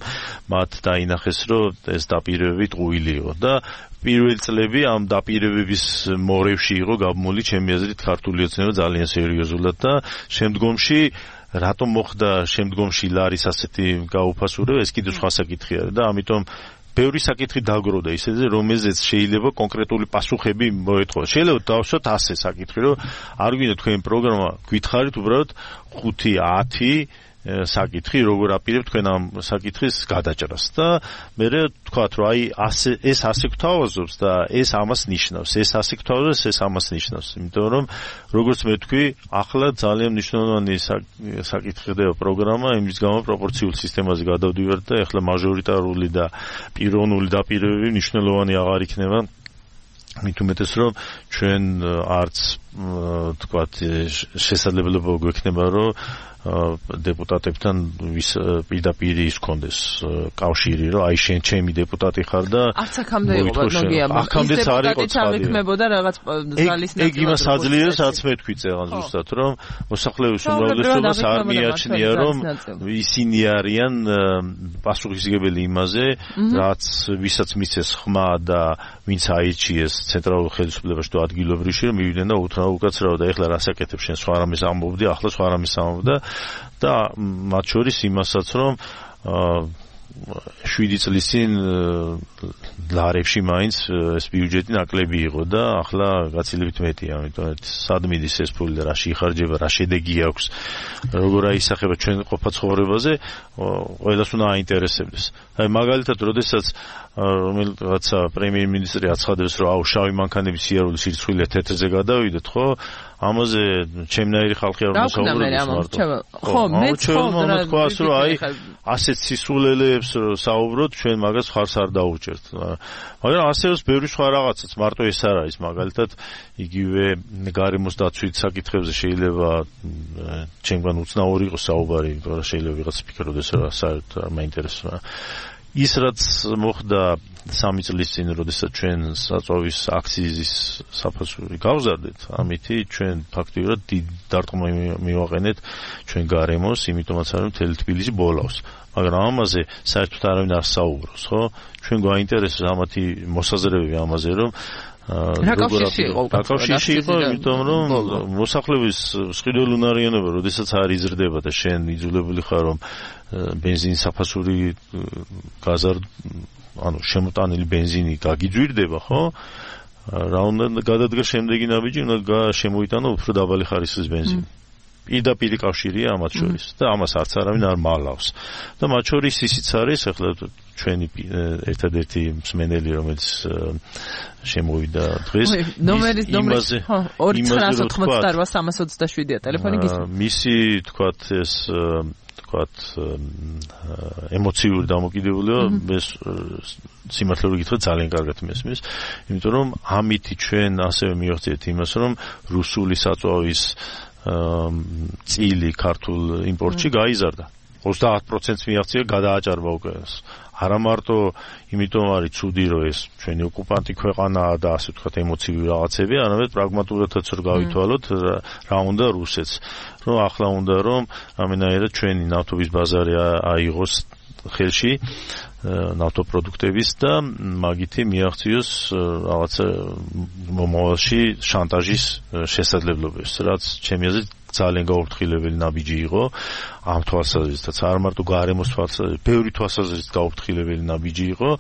მათ დაინახეს, რომ ეს დაპირებები ტყუილი იყო და პირველი წლები ამ დაპირებების მორევში იყო გაბმული ჩემი აზრით ქართული ოცნება ძალიან სერიოზულად და შემდგომში რატომ მოხდა შემდგომში ლარის ასეთი გაუფასურება, ეს კიდევ სხვა საკითხია და ამიტომ ბევრი საკითხი დაგროვდა ისეზე, რომელზეც შეიძლება კონკრეტული პასუხები მოეთხოვა. შეიძლება დავსვათ ასე საკითხი, რომ არ გვინდა თქვენი პროგრამა გითხარით უბრალოდ 5-10 საკითხი, როგორ აპირებ თქვენ ამ საკითხის გადაჭრას და მე ვთქვათ, რომ აი ეს ასე გვთავაზობს და ეს ამას ნიშნავს, ეს ასე გვთავაზობს, ეს ამას ნიშნავს. იმიტომ რომ როგორც მე ვთქვი, ახლა ძალიან მნიშვნელოვანი საკითხი ხდება პროგრამა, იმის გამო პროპორციულ სისტემაზე გადავდივართ და ახლა მაჟორიტარული და პიროვნული დაპირებები მნიშვნელოვანი აღარ იქნება. მით უმეტეს რომ ჩვენ არც თქვათ შესაძლებლობა გვექნება რომ დეპუტატებთან პირდაპირ ის კონდეს კავშირი, რომ აი შენ ჩემი დეპუტატი ხარ და არც აქამდე იყო ნოგია, აქამდეც არ იყო წავექმებოდა რაღაც ზალის ნაწილი. ეგ იმას აძლიერებს, რაც მე თქვი წეგან ზუსტად, რომ მოსახლეობის უმრავლესობას არ მიაჩნია, რომ ისინი არიან პასუხისმგებელი იმაზე, რაც ვისაც მისცეს ხმა და ვინც აირჩიეს ცენტრალურ ხელისუფლებაში თუ ადგილობრივში, რომ მივიდნენ და უთხრა უკაცრავდა, ეხლა რას აკეთებ შენ, სხვა რამეს ამბობდი, ახლა სხვა რამეს ამბობდა და მათ შორის იმასაც, რომ 7 წლის წინ ლარებში მაინც ეს ბიუჯეტი ნაკლები იყო და ახლა გაცილებით მეტია, ამიტომ სად მიდის ეს ფული და რაში იხარჯება, რა შედეგი აქვს, როგორ აისახება ჩვენ ყოფა ცხოვრებაზე, ყველას უნდა აინტერესებდეს. აი მაგალითად, როდესაც რომელიღაცა პრემიერ-მინისტრი აცხადებს, რომ აუ შავი მანქანების სიარულის სირცხვილია თეთრზე გადავიდეთ, ხო? ამაზე ჩემნაირი ხალხი არ მოსაუბრებს. ხო, მე თქვას, რომ აი ასეთ სისულელეებს საუბრობთ, ჩვენ მაგას ხარს არ დაუჭერთ. მაგრამ არსებობს ბევრი სხვა რაღაცაც, მარტო ეს არ არის. მაგალითად, იგივე გარემოს დაცვით საკითხებზე შეიძლება ჩემგან უცნაური იყოს საუბარი, მაგრამ შეიძლება ვიღაც ფიქრობდეს, რომ საერთოდ არ მაინტერესებს. ის რაც მოხდა 3 წლის წინ, როდესაც ჩვენ საწვავის აქციზის საფასური გავზარდეთ, ამითი ჩვენ ფაქტიურად დიდ დარტყმა მივაყენეთ ჩვენ გარემოს, იმიტომაც რომ მთელი თბილისი ბოლავს. მაგრამ ამაზე საერთოდ არავინ არ საუბრობს, ხო? ჩვენ გვაინტერესებს ამათი მოსაზრებები ამაზე, რომ რაკავშირში იყო, იმიტომ რომ მოსახლეობის მსყიდველუნარიანობა, როდესაც არ იზრდება და შენ იძულებული ხარ, რომ ბენზინის საფასური ანუ შემოტანილი ბენზინი გაგიძვირდება, ხო? რა უნდა გადადგა შემდეგი ნაბიჯი, უნდა შემოიტანო უფრო დაბალი ხარისხის ბენზინი. პირდაპირ კავშირია ამათ შორის და ამას არც არავინ არ მალავს. და მათ შორის ისიც არის, ახლა ჩვენი ერთადერთი მსმენელი, რომელიც შემოვიდა დღეს, ნომერი 2988-327-ია ტელეფონი გისმენთ. მისი თქვათ ეს ემოციური დამოკიდებულება ეს სიმართლე გითხრათ ძალიან კარგად მესმის, იმიტომ რომ ამითი ჩვენ ასევე მივახციეთ იმას, რომ რუსული საწვავის წილი ქართულ იმპორტში გაიზარდა. 30% მიაღწია გადააჭარბა უკვე. არა მარტო იმიტომ არის ცუდი რომ ეს ჩვენი ოკუპანტი ქვეყანაა და ასე ვთქვათ ემოციური რაღაცები, არამედ პრაგმატულადაც რომ გავითვალოთ რა უნდა რუსეთს. რომ ახლა უნდა რომ ამენაერად ჩვენი ნავთობის ბაზარი აიღოს ხელში ნავთობპროდუქტების და მაგითი მიაღწიოს რაღაცა მომავალში შანტაჟის შესაძლებლობებს, რაც ჩემი აზრით ძალიან გაუფრთხილებელი ნაბიჯი იყო ამ თვალსაზრისით, არ მარტო გარემოს თვალსაზრისით, ბევრი თვალსაზრისით გაუფრთხილებელი ნაბიჯი იყო,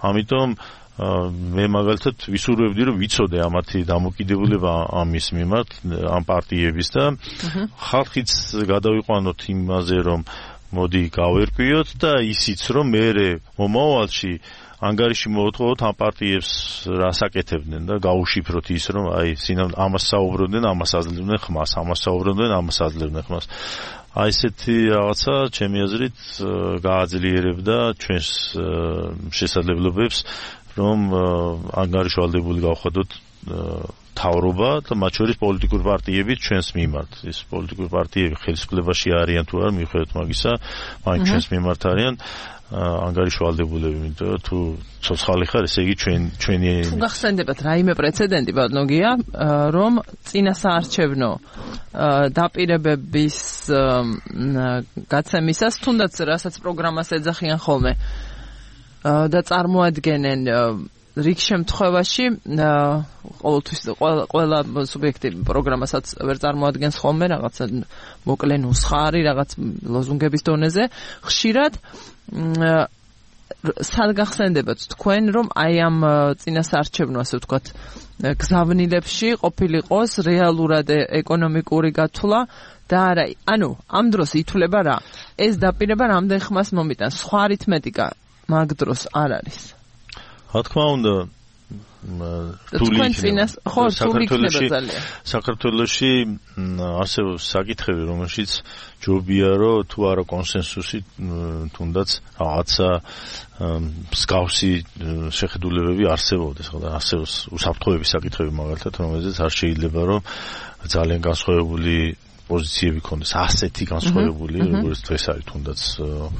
ამიტომ მე მაგალითად ვისურვებდი რომ ვიცოდე ამათი დამოკიდებულება ამის მიმართ, ამ პარტიების და ხალხიც გადავიყვანოთ იმაზე რომ მოდი გავერკვიოთ და ისიც რომ მე მომავალში ანგარიში მოვთხოვოთ ამ პარტიებს რას აკეთებდნენ და გაუშიფროთ ის რომ აი ამას საუბრობდნენ, ამას აძლევდნენ ხმას, ამას საუბრობდნენ, ამას აძლევდნენ ხმას. აი ესეთი რაღაცა ჩემი აზრით გააძლიერებდა ჩვენს შესაძლებლობებს რომ ანგარიშვალდებული გავხადოთ თავრობა და მათ შორის პოლიტიკური პარტიები ჩვენს მიმართ. ეს პოლიტიკური პარტიები ხელისუფლებაში არიან თუ არა, მიუხედავად მაგისა, მაინც ჩვენს მიმართ არიან ანგარიშვალდებულები, იმიტომ თუ ცოცხალი ხარ, ესე იგი ჩვენი თუ გახსენდებათ რაიმე პრეცედენტი ბატონოგია, რომ წინასაარჩევნო დაპირებების გაცემისას თუნდაც რასაც პროგრამას ეძახიან ხოლმე და წარმოადგენენ რიგ შემთხვევაში ყოველთვის ყველა სუბიექტი პროგრამასაც ვერ წარმოადგენს ხოლმე რაღაცა მოკლე ნუსხარი რაღაც ლოზუნგების დონეზე ხშირად სად გახსენდებათ თქვენ რომ აი ამ წინასაარჩევნო ასე ვთქვათ გზავნილებში ყოფილიყოს რეალურად ეკონომიკური გათვლა და არა ანუ ამ დროს ითვლება რა ეს დაპირება რამდენ ხმას მომიტანს სხვა არითმეტიკა მაგ დროს არ არის რა თქმა უნდა საქართველოში არსებობს საკითხები, რომელშიც ჯობია რომ თუ არა კონსენსუსი, თუნდაც რაღაცა მსგავსი შეხედულებები არსებობდეს, ხო და არსებობს უსაფრთხოების საკითხები მაგალითად, რომელზეც არ შეიძლება რომ ძალიან განსხვავებული პოზიციები ქონდეს, ასეთი განსხვავებული, როგორც დღეს არის თუნდაც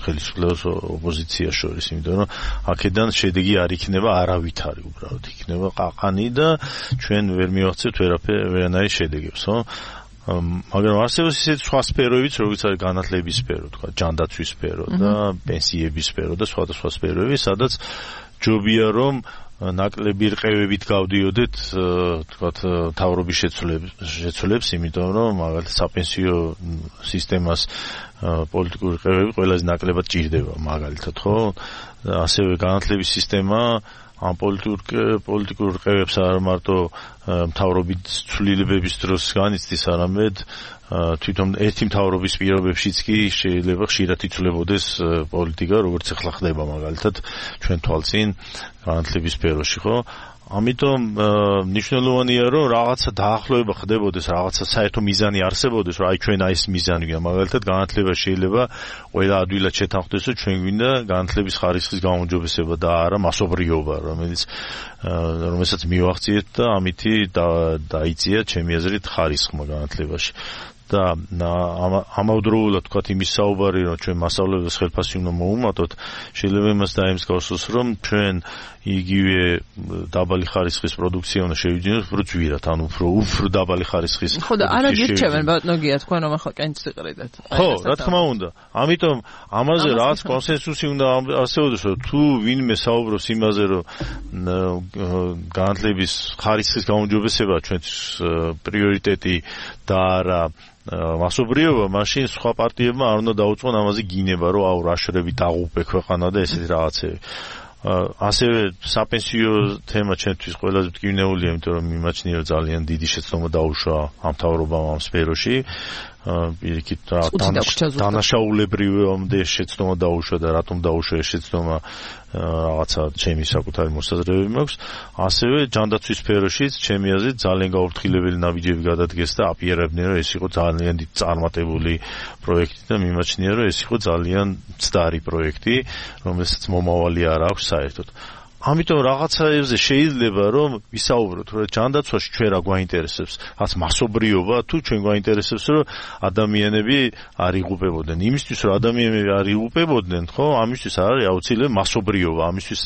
ხელისუფლებას ოპოზიციას შორის, იმიტომ რომ აქედან შედეგი არ იქნება არავითარი, უბრალოდ იქნება ყაყანი და ჩვენ ვერ მივახცევთ ვერანაირ შედეგებს, ხო? მაგრამ არსებობს ისეთი სხვა სფეროებიც, როგორც არის განათლების სფერო, თქვა, ჯანდაცვის სფერო და პენსიების სფერო და სხვადასხვა სფეროები, სადაც ჯობია რომ ნაკლები რყევებით გავდიოდეთ, თქვათ, თავრობის შეცვლებს, იმიტომ რომ მაგალითად საპენსიო სისტემას პოლიტიკური რყევები ყველაზე ნაკლებად ჭირდება, მაგალითად, ხო? ასევე განათლების სისტემა ამ პოლიტიკურ რყევებს არ მარტო მთავრობის ცვლილებების დროს განიცდის, არამედ თვითონ ერთი მთავრობის პირობებშიც კი შეიძლება ხშირად იცვლებოდეს პოლიტიკა, როგორც ახლა ხდება მაგალითად ჩვენ თვალწინ განათლების სფეროში, ხო? ამიტომ მნიშვნელოვანია რომ რაღაცა დაახლოება ხდებოდეს, რაღაცა საერთო მიზანი არსებობდეს, რომ აი ჩვენ აი ეს მიზანი გვაქვს, მაგალითად განათლება შეიძლება ყველა ადვილად შეთანხმდეს, რომ ჩვენ გვინდა განათლების ხარისხის გაუმჯობესება და არა მასობრიობა, რომელსაც მივახციეთ და ამითი დაიწია ჩემი აზრით ხარისხმა განათლებაში. და ამავდროულად თქვათ იმის საუბარი რომ ჩვენ მასწავლებლებს ხელფასი უნდა მოუმატოთ, შეიძლება იმას დაემსგავსოს რომ ჩვენ იგივე დაბალი ხარისხის პროდუქცია უნდა შევიძინოთ უფრო ძვირად, ანუ უფრო დაბალი ხარისხის. ხო და არა გირჩევენ ბატონოგია თქვენ რომ ახლა კენჭს იყრიდეთ. ხო, რა თქმა უნდა. ამიტომ ამაზე რაღაც კონსენსუსი უნდა არსებობდეს, რომ თუ ვინმე საუბრობს იმაზე, რომ განათლების ხარისხის გაუმჯობესება ჩვენთვის პრიორიტეტი და არა მასობრიობა, მაშინ სხვა პარტიებმა არ უნდა დაუწყონ ამაზე გინება, რომ აუ რაშრები დაღუპე ქვეყანა და ესეთი რაღაცები. ასევე საპენსიო თემა ჩვენთვის ყველაზე მტკივნეულია, იმიტომ რომ მიმაჩნია ძალიან დიდი შეცდომა დაუშვა ამ მთავრობამ ამ სფეროში პირიქით დანაშაულებრივამდე შეცდომა დაუშვა და რატომ დაუშვა ეს შეცდომა რაღაცა ჩემი საკუთარი მოსაზრებები მაქვს. ასევე ჯანდაცვის სფეროშიც ჩემი აზრით ძალიან გაუფრთხილებელი ნაბიჯები გადადგეს და აპირებდნენ რომ ეს იყო ძალიან დიდი წარმატებული პროექტი და მიმაჩნია რომ ეს იყო ძალიან მცდარი პროექტი, რომელსაც მომავალი არ აქვს საერთოდ. ამიტომ რაღაცაებზე შეიძლება რომ ვისაუბროთ რომ ჯანდაცვაში ჩვენ რა გვაინტერესებს, რაც მასობრიობა თუ ჩვენ გვაინტერესებს რომ ადამიანები არ იღუპებოდნენ. იმისთვის რომ ადამიანები არ იღუპებოდნენ, ხო, ამისთვის არის აუცილებელი მასობრიობა, ამისთვის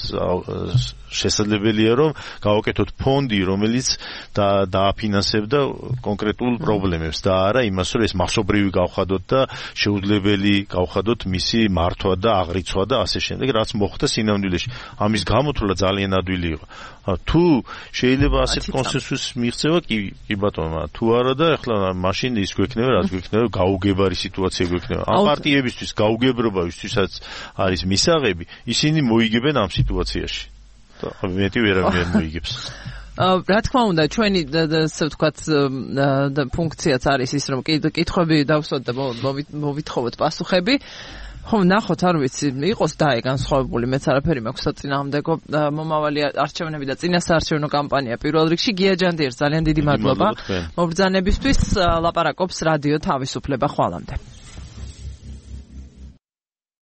შესაძლებელია რომ გავაკეთოთ ფონდი, რომელიც დააფინანსებდა კონკრეტულ პრობლემებს და არა იმას რომ ეს მასობრივი გავხადოთ და შეუძლებელი გავხადოთ მისი მართვა და აღრიცვა და ასე შემდეგ, რაც მოხდა სინამდვილეში. ამის გამოთვლა ძალიან ადვილი იყო. თუ შეიძლება ასეთ კონსენსუსს მიღწევა, კი ბატონო, თუ არა და ეხლა მაშინ ის გვექნება, რაც გვექნება, გაუგებარი სიტუაცია გვექნება. ამ პარტიებისთვის გაუგებრობა, ვისთვისაც არის მისაღები, ისინი მოიგებენ ამ სიტუაციაში. მეტი ვერავინ მოიგებს. რა თქმა უნდა, ჩვენი ასე ვთქვათ ფუნქციაც არის ის, რომ კითხვები დავსვათ და მოვითხოვოთ პასუხები. ხო, ნახოთ, არ ვიცი, იყოს განსხვავებული, მეც არაფერი მაქვს საწინააღმდეგო მომავალი არჩევნები და წინასაარჩევნო კამპანია პირველ რიგში. გია ჯანდიერს ძალიან დიდი მადლობა მობრძანებისთვის. ლაპარაკობს რადიო თავისუფლება. ხვალამდე.